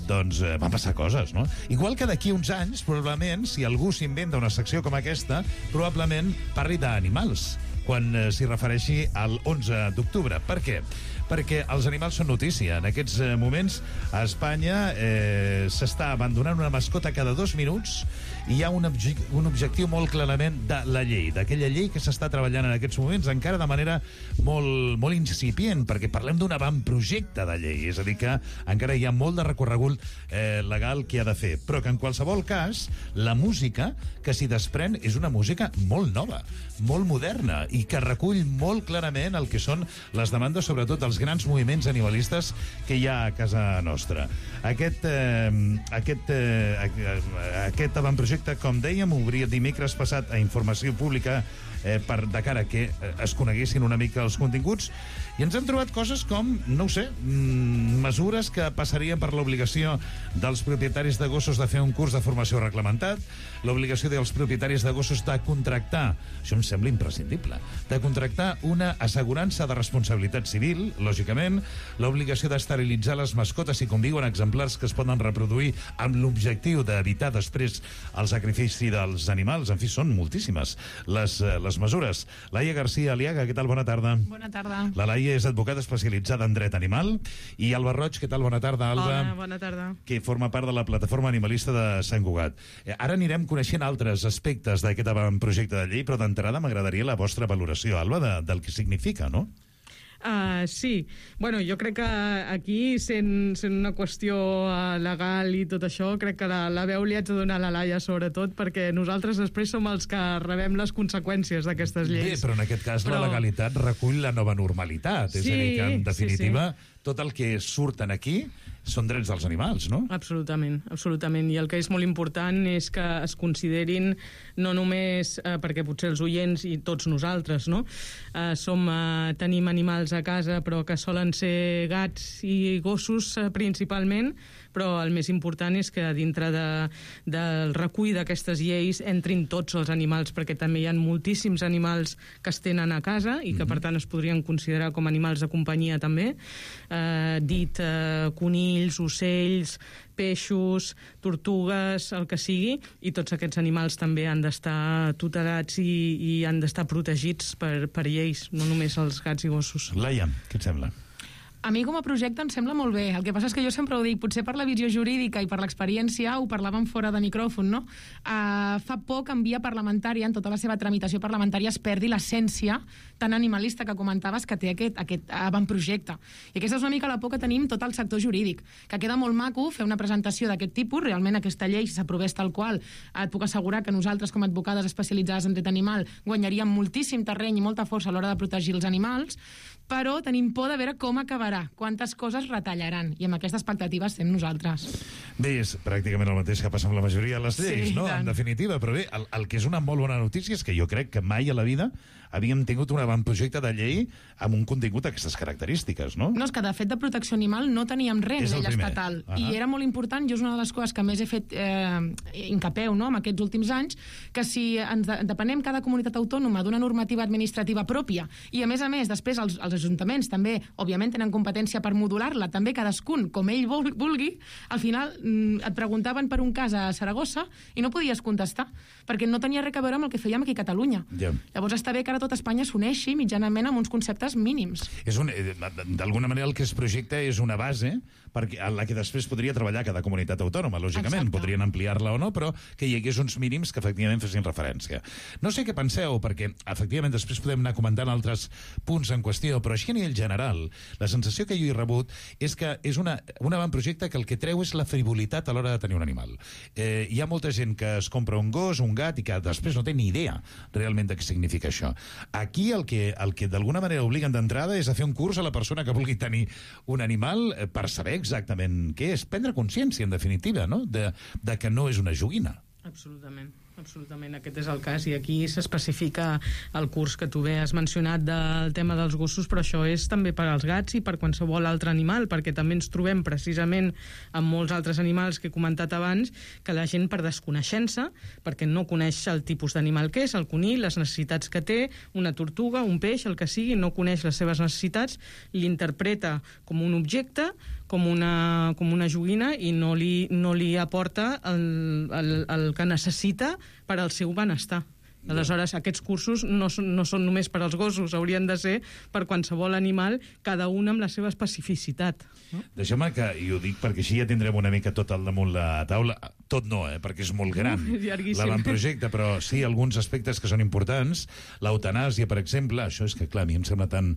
[SPEAKER 12] van passar coses, no? Igual que d'aquí uns anys, probablement, si algú s'inventa una secció com aquesta, probablement parli d'animals, quan s'hi refereixi al 11 d'octubre. Per què? Perquè els animals són notícia. En aquests moments, a Espanya s'està abandonant una mascota cada 2 minuts i hi ha un objectiu molt clarament de la llei, d'aquella llei que s'està treballant en aquests moments, encara de manera molt incipient, perquè parlem d'un avantprojecte de llei, és a dir que encara hi ha molt de recorregut legal que ha de fer, però que en qualsevol cas, la música que s'hi desprèn és una música molt nova, molt moderna, i que recull molt clarament el que són les demandes, sobretot dels grans moviments animalistes que hi ha a casa nostra. Aquest avantprojecte, com dèiem, obria dimecres passat a informació pública de cara que es coneguessin una mica els continguts, i ens hem trobat coses com, no ho sé, mesures que passarien per l'obligació dels propietaris de gossos de fer un curs de formació reglamentat, l'obligació dels propietaris de gossos de contractar, això em sembla imprescindible, de contractar una assegurança de responsabilitat civil, lògicament, l'obligació d'esterilitzar les mascotes si conviuen exemplars que es poden reproduir amb l'objectiu d'evitar després el sacrifici dels animals. En fi, són moltíssimes les mesures. Laia García Aliaga, què tal? Bona tarda.
[SPEAKER 16] Bona tarda.
[SPEAKER 12] La Laia és advocada especialitzada en dret animal. I Alba Roig, què tal? Bona tarda, Alba.
[SPEAKER 16] Hola, bona tarda.
[SPEAKER 12] Que forma part de la plataforma animalista de Sant Cugat. Ara anirem coneixent altres aspectes d'aquest avantprojecte de llei, però d'entrada m'agradaria la vostra valoració, Alba, del que significa, no?
[SPEAKER 16] Sí. Bueno, jo crec que aquí, sent una qüestió legal i tot això, crec que la veu li haig de donar a la Laia, sobretot, perquè nosaltres després som els que rebem les conseqüències d'aquestes lleis.
[SPEAKER 12] Bé, però en aquest cas la legalitat recull la nova normalitat. És a dir, que en definitiva tot el que surten aquí són drets dels animals, no?
[SPEAKER 16] Absolutament, absolutament. I el que és molt important és que es considerin, no només perquè potser els oients i tots nosaltres, no? Tenim animals a casa, però que solen ser gats i gossos principalment, però el més important és que dintre del recull d'aquestes lleis entrin tots els animals, perquè també hi ha moltíssims animals que es tenen a casa i que per tant es podrien considerar com animals de companyia també, conills, ocells, peixos, tortugues, el que sigui, i tots aquests animals també han d'estar tutelats i han d'estar protegits per lleis, no només els gats i gossos.
[SPEAKER 12] Laia, què et sembla?
[SPEAKER 17] A mi com a projecte em sembla molt bé. El que passa és que jo sempre ho dic, potser per la visió jurídica i per l'experiència, ho parlàvem fora de micròfon, no? Fa por que en via parlamentària, en tota la seva tramitació parlamentària, es perdi l'essència tan animalista que comentaves que té aquest avantprojecte. I aquesta és una mica la por que tenim tot el sector jurídic, que queda molt maco fer una presentació d'aquest tipus, realment aquesta llei, si s'aprovés tal qual, et puc assegurar que nosaltres, com a advocades especialitzades en dret animal, guanyaríem moltíssim terreny i molta força a l'hora de protegir els animals, però tenim por de veure com acabarà, quantes coses retallaran, i amb aquesta expectativa estem nosaltres.
[SPEAKER 12] Bé, és pràcticament el mateix que passa amb la majoria de les lleis, no?
[SPEAKER 17] Tant.
[SPEAKER 12] En definitiva, però bé, el que és una molt bona notícia és que jo crec que mai a la vida havíem tingut un avantprojecte de llei amb un contingut d'aquestes característiques, no?
[SPEAKER 17] No, és que de fet de protecció animal no teníem res a nivell estatal, i era molt important, jo és una de les coses que més he fet incapeu, no?, en aquests últims anys, que si ens depenem cada comunitat autònoma d'una normativa administrativa pròpia, i a més després els ajuntaments també, òbviament, tenen competència per modular-la, també cadascun, com ell vulgui, al final et preguntaven per un cas a Saragossa i no podies contestar, perquè no tenia res a veure amb el que fèiem aquí a Catalunya. Llavors està bé que ara tot Espanya s'uneixi mitjanament amb uns conceptes mínims.
[SPEAKER 12] D'alguna manera el que es projecta és una base en la que després podria treballar cada comunitat autònoma, lògicament. Podrien ampliar-la o no, però que hi hagués uns mínims que efectivament fessin referència. No sé què penseu, perquè efectivament després podem anar comentant altres punts en qüestió, però així a nivell general, la sensació que jo he rebut és que és un avantprojecte que el que treu és la frivolitat a l'hora de tenir un animal. Hi ha molta gent que es compra un gos, un gat, i que després no té ni idea realment de què significa això. Aquí el que d'alguna manera obliguen d'entrada és a fer un curs a la persona que vulgui tenir un animal per saber exactament què és, prendre consciència, en definitiva, no?, de que no és una joguina.
[SPEAKER 16] Absolutament. Aquest és el cas, i aquí s'especifica el curs que tu bé has mencionat del tema dels gossos, però això és també per als gats i per qualsevol altre animal, perquè també ens trobem precisament amb molts altres animals que he comentat abans, que la gent per desconeixença, perquè no coneix el tipus d'animal que és, el conill, les necessitats que té, una tortuga, un peix, el que sigui, no coneix les seves necessitats, l'interpreta com un objecte, com una joguina, i no li aporta el que necessita per al seu benestar. Aleshores, aquests cursos no són només per als gossos, haurien de ser per qualsevol animal, cada un amb la seva especificitat. No?
[SPEAKER 12] Deixeu-me que, i ho dic perquè així ja tindrem una mica tot al damunt la taula, tot no, perquè és molt gran l'avantprojecte, però sí alguns aspectes que són importants. L'eutanàsia, per exemple, això és que, clar, a mi em sembla tan...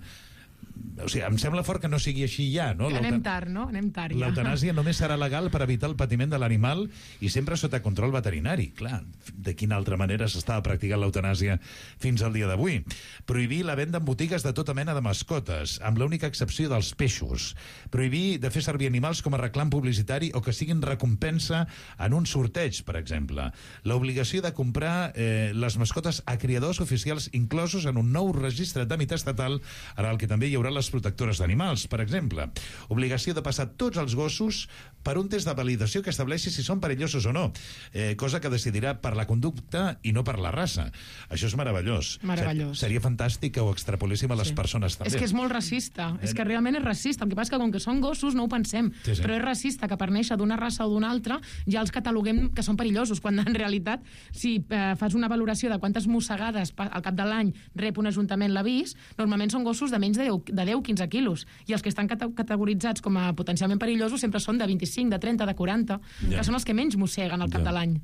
[SPEAKER 12] O sigui, em sembla fort que no sigui així ja, no?
[SPEAKER 17] Anem tard, no? Anem tard, ja.
[SPEAKER 12] L'eutanàsia només serà legal per evitar el patiment de l'animal i sempre sota control veterinari. Clar, de quina altra manera s'estava practicant l'eutanàsia fins al dia d'avui? Prohibir la venda en botigues de tota mena de mascotes, amb l'única excepció dels peixos. Prohibir de fer servir animals com a reclam publicitari o que siguin recompensa en un sorteig, per exemple. L'obligació de comprar les mascotes a criadors oficials inclosos en un nou registre d'àmbit estatal, en el que també hi haurà les protectores d'animals, per exemple. Obligació de passar tots els gossos per un test de validació que estableixi si són perillosos o no, cosa que decidirà per la conducta i no per la raça. Això és meravellós. Seria fantàstic que ho extrapoléssim a les persones també.
[SPEAKER 17] És que és molt racista, és que realment és racista. El que passa és que com que són gossos no ho pensem, però és racista que per néixer d'una raça o d'una altra ja els cataloguem que són perillosos, quan en realitat si fas una valoració de quantes mossegades al cap de l'any rep un ajuntament l'avís, normalment són gossos de menys de 10-15 quilos, i els que estan categoritzats com a potencialment perillosos sempre són de 25, de 30, de 40, que són els que menys mosseguen al cap de l'any.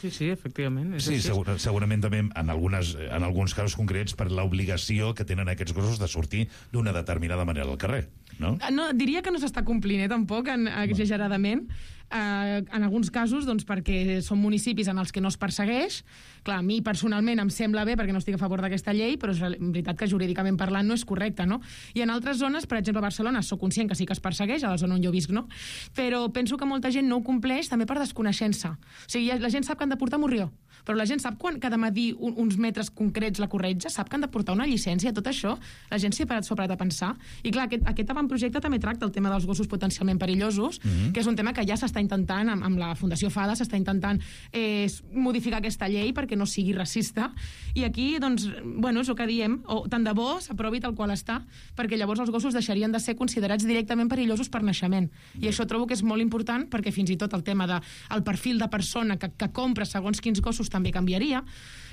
[SPEAKER 16] Sí, efectivament.
[SPEAKER 12] Sí, segurament també en alguns casos concrets per l'obligació que tenen aquests gossos de sortir d'una determinada manera al carrer, no?
[SPEAKER 17] No, diria que no s'està complint, tampoc, exageradament. En alguns casos, doncs, perquè són municipis en els que no es persegueix. Clar, a mi personalment em sembla bé perquè no estic a favor d'aquesta llei, però és veritat que jurídicament parlant no és correcte, no? I en altres zones, per exemple a Barcelona, sóc conscient que sí que es persegueix, a la zona on jo visc, no? Però penso que molta gent no ho compleix també per desconeixença. O sigui, la gent sap que han de portar morrió, però la gent sap quan que ha de medir uns metres concrets la corretja, sap que han de portar una llicència, tot això, la gent s'hi ha parat a pensar. I clar, aquest avantprojecte també tracta el tema dels gossos potencialment perillosos, que és un tema que ja s'està intentant, amb la Fundació FADA, s'està intentant modificar aquesta llei perquè no sigui racista. I aquí, doncs, bueno, és el que diem, tant de bo s'aprovi tal qual està, perquè llavors els gossos deixarien de ser considerats directament perillosos per naixement. I això trobo que és molt important, perquè fins i tot el tema del perfil de persona que compra segons quins gossos també canviaria.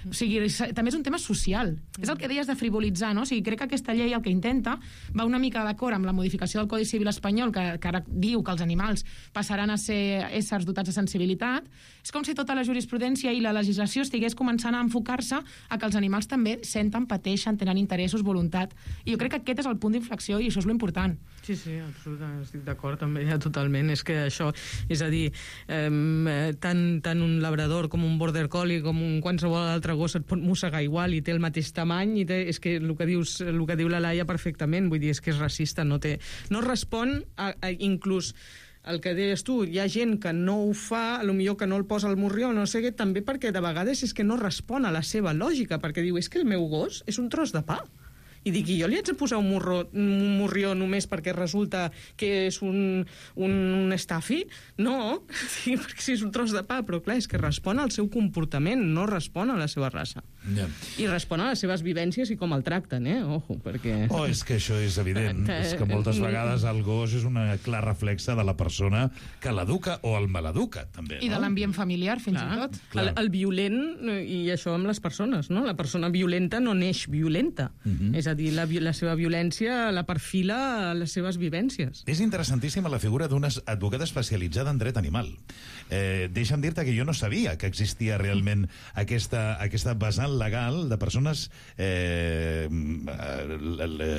[SPEAKER 17] O sigui, també és un tema social. És el que deies de frivolitzar, no? O sigui, crec que aquesta llei el que intenta va una mica d'acord amb la modificació del Codi Civil espanyol, que ara diu que els animals passaran a ser éssers dotats de sensibilitat. És com si tota la jurisprudència i la legislació estigués començant a enfocar-se a que els animals també senten, pateixen, tenen interessos, voluntat. I jo crec que aquest és el punt d'inflexió i això és l'important.
[SPEAKER 16] Sí, absolutament, estic d'acord també, ja totalment. És que això, és a dir, tant un labrador com un border collie com un qualsevol altre gos et pot mossegar igual i té el mateix tamany i és que el que diu la Laia perfectament, vull dir, és que és racista, no respon a inclús el que deies tu, hi ha gent que no ho fa, potser que no el posa al morrió, no sé què, també perquè de vegades és que no respon a la seva lògica, perquè diu, és que el meu gos és un tros de pa. I dic, i jo li haig de posar un morrió només perquè resulta que és un estafi? No, sí, perquè sí, és un tros de pa, però clar, és que respon al seu comportament, no respon a la seva raça.
[SPEAKER 12] Yeah.
[SPEAKER 16] I respon a les seves vivències i com el tracten, ojo, perquè...
[SPEAKER 12] és que això és evident, és que moltes vegades el gos és una clar reflexa de la persona que l'educa o el maleduca, també, no?
[SPEAKER 17] I de l'ambient familiar, fins i tot.
[SPEAKER 16] El violent, i això amb les persones, no? La persona violenta no neix violenta, és a dir, la seva violència la perfila a les seves vivències.
[SPEAKER 12] És interessantíssima la figura d'una advocada especialitzada en dret animal. Deixa'm dir-te que jo no sabia que existia realment aquesta vessant legal de persones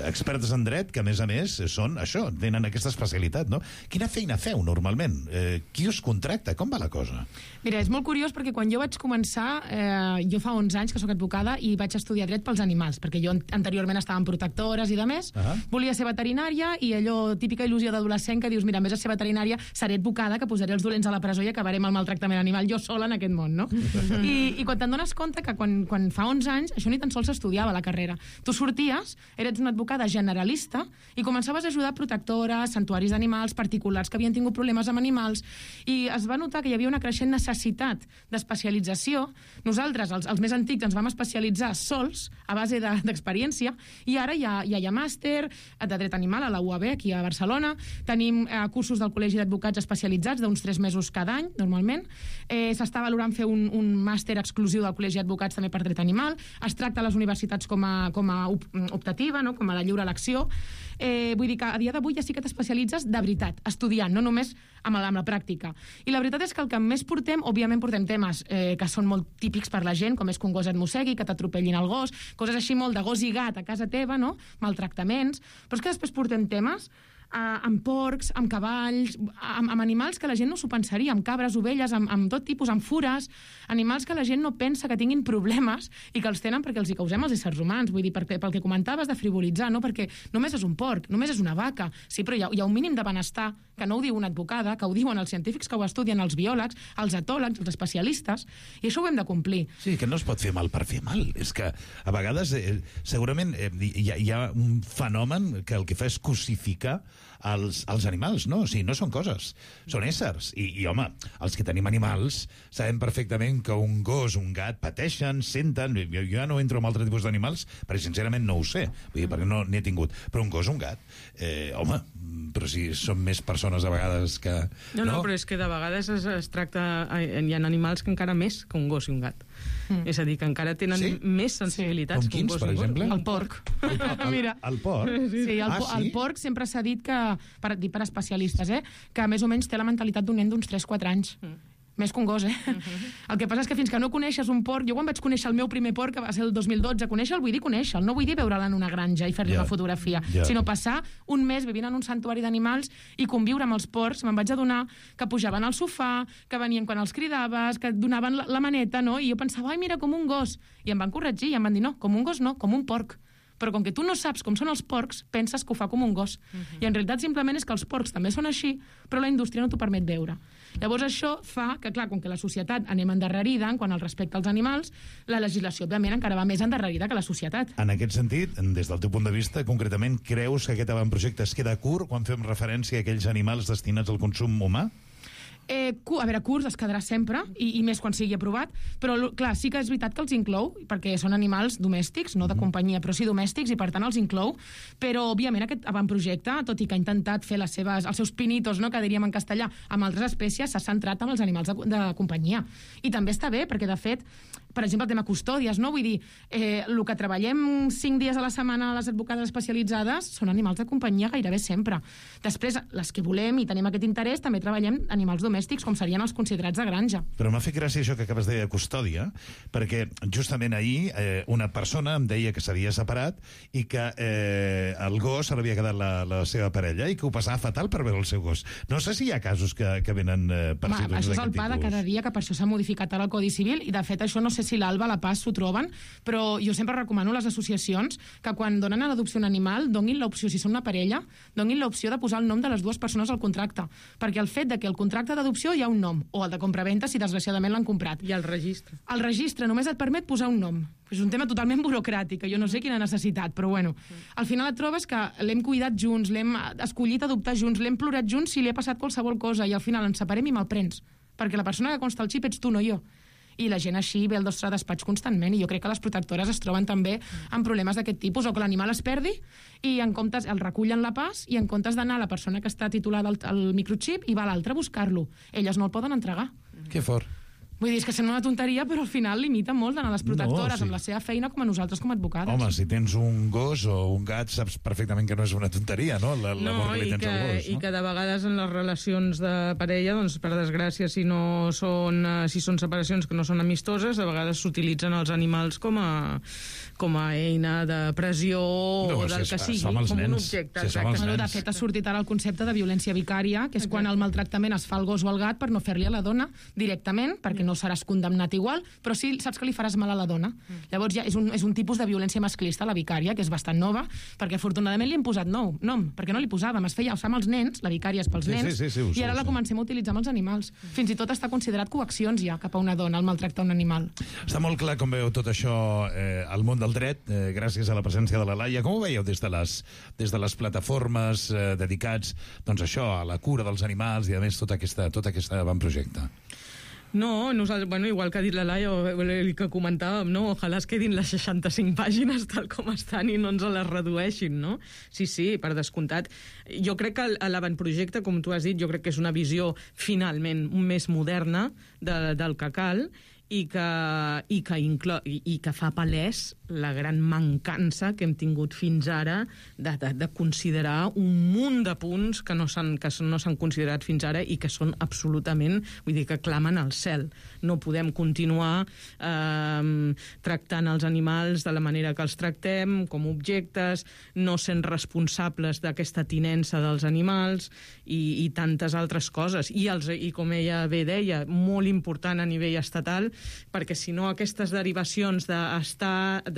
[SPEAKER 12] expertes en dret que, a més, són això, tenen aquesta especialitat, no? Quina feina feu, normalment? Qui us contracta? Com va la cosa?
[SPEAKER 17] Mira, és molt curiós perquè quan jo vaig començar, jo fa 11 anys que sóc advocada i vaig estudiar dret pels animals, perquè jo anteriorment estava en protectores i de més, volia ser veterinària i allò, típica il·lusió d'adolescent que dius, mira, en vez de ser veterinària, seré advocada, que posaré els dolents a la presó i acabaré amb el maltractament animal jo sola en aquest món, no? I quan te'n dones compte que quan fa 11 anys això ni tan sols s'estudiava a la carrera. Tu sorties, eres una advocada generalista i començaves a ajudar protectores, santuaris d'animals, particulars que havien tingut problemes amb animals i es va notar que hi havia una creixent necessitat d'especialització. Nosaltres, els més antics, ens vam especialitzar sols a base d'experiència i ara ja hi ha màster de dret animal a la UAB, aquí a Barcelona. Tenim cursos del Col·legi d'Advocats especialitzats d'uns 3 mesos cada any, normalment. S'està valorant fer un màster exclusiu del Col·legi d'Advocats també per dret animal. Es tracta a les universitats com a optativa, no? Com a de lliure elecció. Vull dir que a dia d'avui ja sí que t'especialitzes de veritat, estudiant, no només amb la pràctica. I la veritat és que el que més portem, òbviament portem temes que són molt típics per la gent, com és que un gos et mossegui, que t'atropellin el gos, coses així molt de gos i gat a casa teva, no? Maltractaments, però és que després portem temes amb porcs, amb cavalls, amb animals que la gent no s'ho pensaria, amb cabres, ovelles, amb tot tipus, amb fures, animals que la gent no pensa que tinguin problemes i que els tenen perquè els hi causem els éssers humans. Vull dir, pel que comentaves de frivolitzar, no? Perquè només és un porc, només és una vaca. Sí, però hi ha un mínim de benestar, que no ho diu una advocada, que ho diuen els científics que ho estudien, els biòlegs, els etòlegs, els especialistes, i això ho hem de complir.
[SPEAKER 12] Sí, que no es pot fer mal per fer mal. És que a vegades segurament hi ha un fenomen que el que fa és cosificar els animals, no? O sigui, no són coses, són éssers. I home, els que tenim animals sabem perfectament que un gos, un gat pateixen, senten... Jo ja no entro en altres tipus d'animals perquè sincerament no ho sé, vull dir, perquè no n'he tingut. Però un gos, un gat, home, però si són més persones a vegades que...
[SPEAKER 16] No, però és que de vegades es tracta... Hi ha animals que encara més que un gos i un gat. És a dir, que encara tenen més sensibilitats que un gos i un gat.
[SPEAKER 17] El porc. Mira.
[SPEAKER 12] El porc?
[SPEAKER 17] Sí, el porc sempre s'ha dit que, per especialistes, que més o menys té la mentalitat d'un nen d'uns 3-4 anys. Més que un gos, El que passa és que fins que no coneixes un porc... Jo quan vaig conèixer el meu primer porc, que va ser el 2012, conèixer-lo, vull dir conèixer-lo, no vull dir veure'l en una granja i fer-li una fotografia, sinó passar un mes vivint en un santuari d'animals i conviure amb els porcs. Me'n vaig adonar que pujaven al sofà, que venien quan els cridaves, que et donaven la maneta, no? I jo pensava, ai, mira, com un gos. I em van corregir i em van dir, no, com un gos no, com un porc. Però com que tu no saps com són els porcs, penses que ho fa com un gos. I en realitat simplement és que els porcs també són així, però la indústria no t'ho permet veure. Llavors això fa que, clar, com que la societat anem endarrerida en quant al respecte als animals, la legislació, òbviament, encara va més endarrerida que la societat.
[SPEAKER 12] En aquest sentit, des del teu punt de vista, concretament, creus que aquest avantprojecte es queda curt quan fem referència a aquells animals destinats al consum humà?
[SPEAKER 17] A veure, curs es quedarà sempre, i més quan sigui aprovat, però, clar, sí que és veritat que els inclou, perquè són animals domèstics, no de companyia, però sí domèstics, i per tant els inclou, però, òbviament, aquest avantprojecte, tot i que ha intentat fer els seus pinitos, no, que diríem en castellà, amb altres espècies, s'ha centrat en els animals de companyia. I també està bé, perquè, de fet, per exemple, el tema custòdies, no? Vull dir, el que treballem 5 dies a la setmana a les advocades especialitzades són animals de companyia gairebé sempre. Després, les que volem i tenim aquest interès, també treballem animals domèstics, com serien els considerats de granja.
[SPEAKER 12] Però m'ha fet gràcia això que acabes de dir de custòdia, perquè justament ahir una persona em deia que s'havia separat i que el gos se l'havia quedat la seva parella i que ho passava fatal per veure el seu gos. No sé si hi ha casos que venen per situacions d'aquest tipus.
[SPEAKER 17] Això és el pa de cada dia, que per això s'ha modificat ara el Codi Civil, i de fet això no sé si l'Alba, la Paz s'ho troben, però jo sempre recomano a les associacions que quan donen a l'adopció un animal donin l'opció, si són una parella, donin l'opció de posar el nom de les dues persones al contracte, perquè el fet de que el contracte d'adopció hi ha un nom, o el de compraventa si desgraciadament l'han comprat.
[SPEAKER 16] I el registre.
[SPEAKER 17] El registre només et permet posar un nom. És un tema totalment burocràtic, que jo no sé quina necessitat, però bueno. Al final et trobes que l'hem cuidat junts, l'hem escollit adoptar junts, l'hem plorat junts si li ha passat qualsevol cosa, i al final ens separem i me'l prens, perquè la persona que consta el xip ets tu, no jo. I la gent així ve al nostre despatx constantment, i jo crec que les protectores es troben també amb problemes d'aquest tipus, o que l'animal es perdi i en comptes el recullen la Paz, i en comptes d'anar a la persona que està titulada al microxip i va a l'altre a buscar-lo. Elles no el poden entregar.
[SPEAKER 12] Que fort.
[SPEAKER 17] Vull dir, és que sembla una tonteria, però al final limita molt d'anar a les protectores amb la seva feina com a nosaltres com a advocades.
[SPEAKER 12] Home, si tens un gos o un gat, saps perfectament que no és una tonteria, no? L'amor que li tens al gos.
[SPEAKER 16] I que de vegades en les relacions de parella, doncs, per desgràcia, si són separacions que no són amistoses, a vegades s'utilitzen els animals com a eina de pressió o del que sigui, com un objecte.
[SPEAKER 17] De fet, ha sortit ara el concepte de violència vicària, que és quan el maltractament es fa al gos o al gat per no fer-li a la dona directament, perquè no seràs condemnat igual, però sí saps que li faràs mal a la dona. Llavors ja és un tipus de violència masclista, la vicària, que és bastant nova, perquè afortunadament li hem posat nom, perquè no li posàvem, es feia amb els nens, la vicària és pels nens, i ara la comencem a utilitzar amb els animals. Fins i tot està considerat coaccions ja cap a una dona, el maltractar un animal.
[SPEAKER 12] Està molt clar com veu tot això al món del dret, gràcies a la presència de la Laia. Com ho veieu des de les plataformes dedicats, doncs això, a la cura dels animals i a més tot aquest avantprojecte?
[SPEAKER 16] No, nosaltres, bueno, igual que ha dit la Laia, el que comentàvem, no? Ojalà es quedin les 65 pàgines tal com estan i no ens les redueixin, no? Sí, per descomptat. Jo crec que l'avantprojecte, com tu has dit, jo crec que és una visió finalment més moderna del que cal, i que fa palès la gran mancança que hem tingut fins ara de considerar un munt de punts que no s'han considerat fins ara i que són absolutament, vull dir, que clamen al cel. No podem continuar tractant els animals de la manera que els tractem, com objectes, no sent responsables d'aquesta tinença dels animals i tantes altres coses. I com ella bé deia, molt important a nivell estatal, perquè si no aquestes derivacions de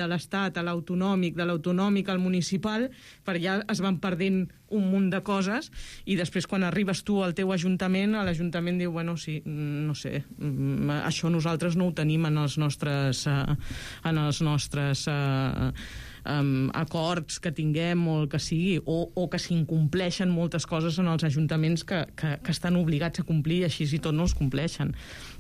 [SPEAKER 16] l'estat a l'autonòmic, de l'autonòmic al municipal, per allà es van perdent un munt de coses, i després quan arribes tu al teu ajuntament, l'ajuntament diu, bueno, sí, no sé, això nosaltres no ho tenim en els nostres acords que tinguem o el que sigui, o que s'incompleixen moltes coses en els ajuntaments que estan obligats a complir, així i tot no es compleixen.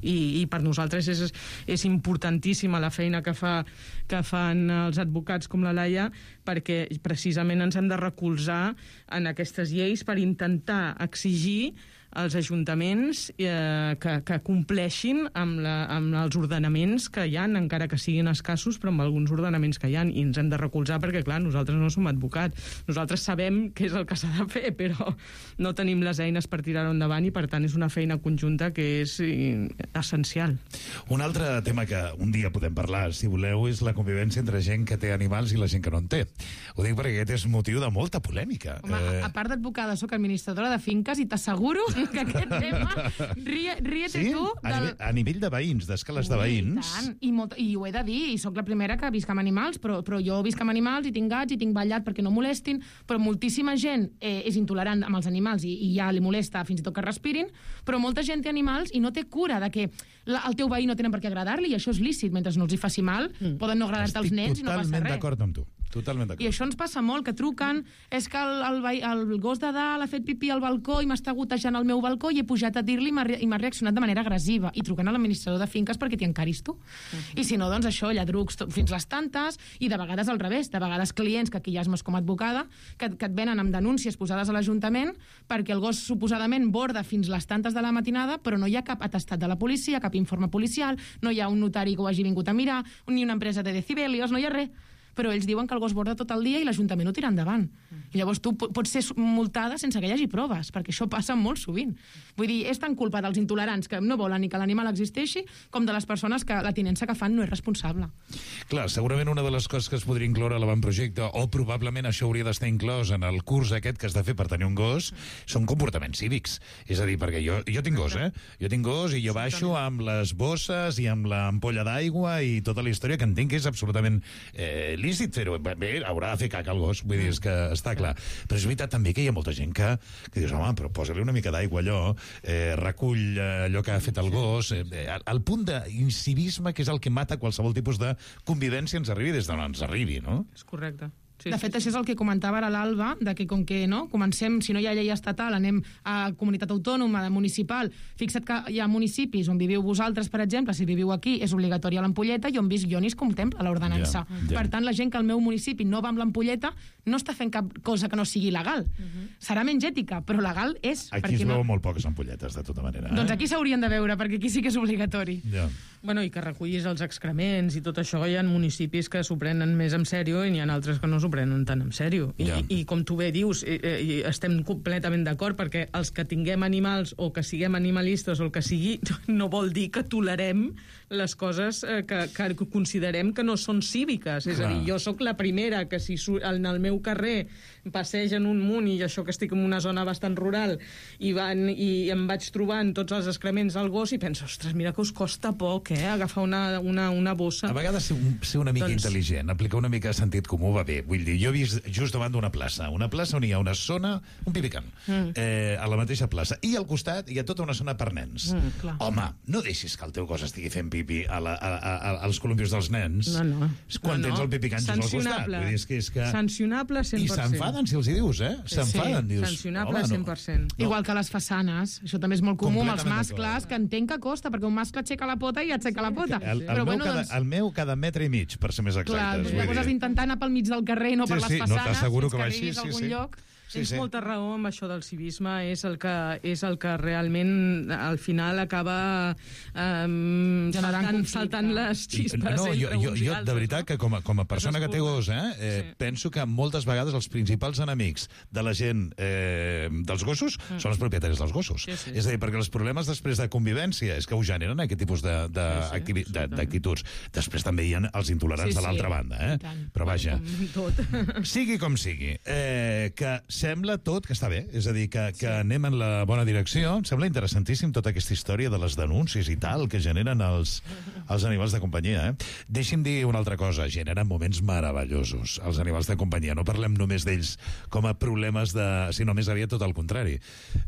[SPEAKER 16] I per nosaltres és importantíssima la feina que fan els advocats com la Laia, perquè precisament ens hem de recolzar en aquestes lleis per intentar exigir als ajuntaments que compleixin amb els ordenaments que hi ha, encara que siguin escassos, però amb alguns ordenaments que hi ha, i ens hem de recolzar perquè, clar, nosaltres no som advocats. Nosaltres sabem què és el que s'ha de fer, però no tenim les eines per tirar-ho endavant i, per tant, és una feina conjunta que és essencial.
[SPEAKER 12] Un altre tema que un dia podem parlar, si voleu, és la convivència entre gent que té animals i la gent que no en té. Ho dic perquè aquest és motiu de molta polèmica.
[SPEAKER 17] Home, a part d'advocada, soc administradora de finques i t'asseguro que aquest tema... Ríete tu...
[SPEAKER 12] A nivell de veïns, d'escales de veïns...
[SPEAKER 17] I ho he de dir, i sóc la primera que visc amb animals, però jo visc amb animals i tinc gats i tinc ballat perquè no molestin, però moltíssima gent és intolerant amb els animals i ja li molesta fins i tot que respirin, però molta gent té animals i no té cura de que el teu veí no tenen per què agradar-li, i això és lícit, mentre no els hi faci mal, poden no agradar-te els nens i no passa res.
[SPEAKER 12] Totalment d'acord amb tu. Totalment d'acord.
[SPEAKER 17] I això ens passa molt, que truquen, és que el gos de dalt ha fet pipí al balcó i m'està gotejant al meu balcó i he pujat a dir-li i m'ha reaccionat de manera agressiva. I truquen a l'administrador de finques perquè t'hi encaris tu. I si no, doncs això, lladrucs fins les tantes, i de vegades al revés, de vegades clients, que aquí ja és com a advocada, que et venen amb denúncies posades a l'Ajuntament perquè el gos suposadament borda fins les tantes de la matinada, però no hi ha cap atestat de la policia, cap informe policial, no hi ha un notari que ho hagi vingut a mirar, ni una empresa de decibelios, no hi ha res. Però ells diuen que el gos borda tot el dia i l'Ajuntament ho tira endavant. I llavors tu pots ser multada sense que hi hagi proves, perquè això passa molt sovint. Vull dir, és tan culpa dels intolerants que no volen ni que l'animal existeixi, com de les persones que la tinença que fan no és responsable.
[SPEAKER 12] Clar, segurament una de les coses que es podria incloure a l'avantprojecte, o probablement això hauria d'estar inclòs en el curs aquest que has de fer per tenir un gos, són comportaments cívics. És a dir, perquè jo tinc gos, Jo tinc gos i jo baixo amb les bosses i amb l'ampolla d'aigua i tota la història, que entenc que és absolutament lícit fer-ho. Bé, haurà de fer caca el gos, vull dir, és que està clar. Però és veritat també que hi ha molta gent que dius, home, però posa-li una mica d'aigua allò, recull allò que ha fet el gos, el punt d'incivisme que és el que mata qualsevol tipus de convivència ens arribi des d'on ens arribi, no?
[SPEAKER 16] És correcte.
[SPEAKER 17] Sí, de fet, això és el que comentava ara l'Alba, de que com que comencem, si no hi ha llei estatal, anem a comunitat autònoma, de municipal. Fixa't que hi ha municipis on viviu vosaltres, per exemple, si viviu aquí, és obligatòria l'ampolleta, i on visc jo ni es contempla l'ordenança. Per tant, la gent que al meu municipi no va amb l'ampolleta no està fent cap cosa que no sigui legal. Serà menys ètica, però legal és.
[SPEAKER 12] Aquí es veuen molt poques ampolletes, de tota manera.
[SPEAKER 17] Doncs aquí s'haurien de veure, perquè aquí sí que és obligatori.
[SPEAKER 16] Bueno, i que recullis els excrements i tot això, hi ha municipis que s'ho prenen més en sèrio i n'hi ha altres que no s'ho prenen tan en sèrio. I com tu bé dius, estem completament d'acord, perquè els que tinguem animals o que siguem animalistes o el que sigui, no vol dir que tolerem les coses que considerem que no són cíviques. És a dir, jo sóc la primera que si en el meu carrer passegen un munt, i això que estic en una zona bastant rural, i em vaig trobant tots els excrements al gos i penso, ostres, mira que us costa poc, agafar una bossa.
[SPEAKER 12] A vegades ser una mica intel·ligent, aplicar una mica de sentit comú va bé. Vull dir, jo he vist just davant d'una plaça on hi ha una zona, un pipicant, a la mateixa plaça, i al costat hi ha tota una zona per nens. Home, no deixis que el teu gos estigui fent pipi als columpios dels nens quan tens el pipicant just al costat. Vull dir, és que...
[SPEAKER 16] Sancionable 100%.
[SPEAKER 12] I s'enfaden si els hi dius, S'enfaden.
[SPEAKER 16] Sí, sancionable 100%.
[SPEAKER 17] Igual que les façanes. Això també és molt comú amb els mascles, que entenc que costa, perquè un mascle aixeca la pota i aixeca la pota.
[SPEAKER 12] El meu cada metre i mig, per ser més exactes.
[SPEAKER 17] Clar, llavors has d'intentar anar pel mig del carrer i no per les façanes,
[SPEAKER 12] t'asseguro que
[SPEAKER 17] que arribis a algun lloc.
[SPEAKER 16] Tens molta raó amb això del civisme, és el que realment al final acaba saltant les xispes entre uns i altres.
[SPEAKER 12] De veritat que com a persona que té gos, penso que moltes vegades els principals enemics de la gent dels gossos són els propietaris dels gossos. És a dir, perquè els problemes després de convivència és que ho generen aquest tipus d'actituds. Després també hi ha els intolerants de l'altra banda, però vaja, sigui com sigui, que sembla tot que està bé, és a dir, que anem en la bona direcció. Em sembla interessantíssim tota aquesta història de les denúncies i tal que generen els animals de companyia. Deixi'm dir una altra cosa, generen moments meravellosos els animals de companyia. No parlem només d'ells com a problemes sinó més aviat tot el contrari.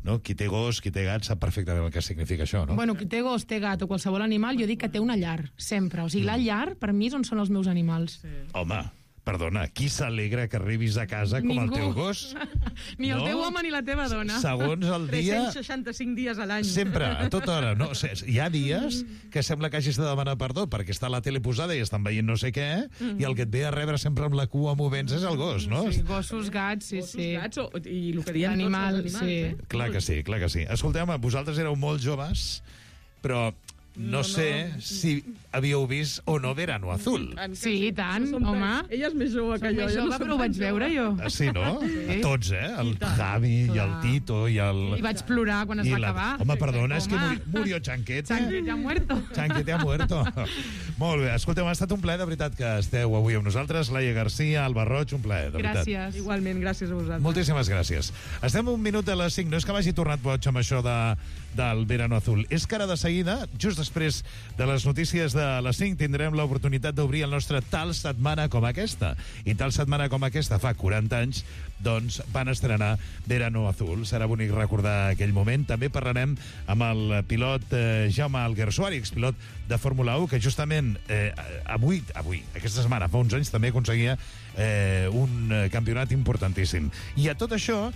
[SPEAKER 12] No? Qui té gos, qui té gat, sap perfectament el que significa això, no?
[SPEAKER 17] Bueno, qui té gos, té gat o qualsevol animal, jo dic que té una llar, sempre. O sigui, la llar, per mi, on són els meus animals.
[SPEAKER 12] Home, Perdona, qui s'alegra que arribis a casa com el teu gos?
[SPEAKER 16] Ni el teu home ni la teva dona.
[SPEAKER 12] Segons el dia...
[SPEAKER 16] 365 dies a l'any.
[SPEAKER 12] Sempre, a tota hora. No? Hi ha dies que sembla que hagis de demanar perdó perquè està la tele posada i estan veient no sé què, i el que et ve a rebre sempre amb la cua movent-se és el gos, no?
[SPEAKER 17] Sí, gossos, gats, sí.
[SPEAKER 16] Gossos, gats, i el que diem
[SPEAKER 17] Animal,
[SPEAKER 16] tots els animals.
[SPEAKER 17] sí.
[SPEAKER 12] Clar que sí, clar que sí. Escolteu, vosaltres éreu molt joves, però no sé si havíeu vist o no Verano Azul.
[SPEAKER 17] Sí, i tant, home.
[SPEAKER 16] Ella és més jove que jo.
[SPEAKER 17] Més jove, però ho vaig veure jo.
[SPEAKER 12] Sí, no? Sí. Tots, el Javi i el Tito i el...
[SPEAKER 17] I vaig plorar quan es va acabar.
[SPEAKER 12] Home, perdona, és que murió Chanquete.
[SPEAKER 17] Chanquete ha muerto.
[SPEAKER 12] Chanquete ha muerto. Molt bé, escolteu, ha estat un plaer, de veritat, que esteu avui amb nosaltres. Laia Garcia, Alba Roig, un plaer, de veritat.
[SPEAKER 17] Gràcies.
[SPEAKER 16] Igualment, gràcies a vosaltres.
[SPEAKER 12] Moltíssimes gràcies. Estem un minut a les 5. No és que m'hagi tornat boig amb això del Verano Azul. És que ara de seguida, just després de les notícies de les 5, tindrem l'oportunitat d'obrir el nostre Tal setmana com aquesta. I tal setmana com aquesta, fa 40 anys, doncs van estrenar Verano Azul. Serà bonic recordar aquell moment. També parlarem amb el pilot Jaume Alguersuari, expilot de Fórmula 1, que justament avui, aquesta setmana, fa uns anys, també aconseguia un campionat importantíssim. I a tot això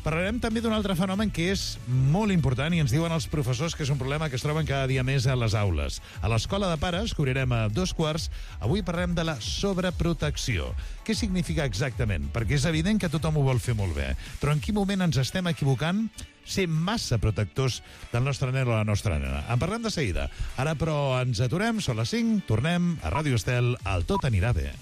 [SPEAKER 12] parlarem també d'un altre fenomen que és molt important i ens diuen els professors que és un problema que es troben cada dia més a les aules. A l'Escola de Pares, que obrirem a 2:15, avui parlarem de la sobreprotecció. Què significa exactament? Perquè és evident que tothom ho vol fer molt bé, però en quin moment ens estem equivocant ser massa protectors del nostre nen o la nostra nena? En parlem de seguida. Ara, però, ens aturem, són les 5, tornem a Ràdio Estel, el Tot anirà bé.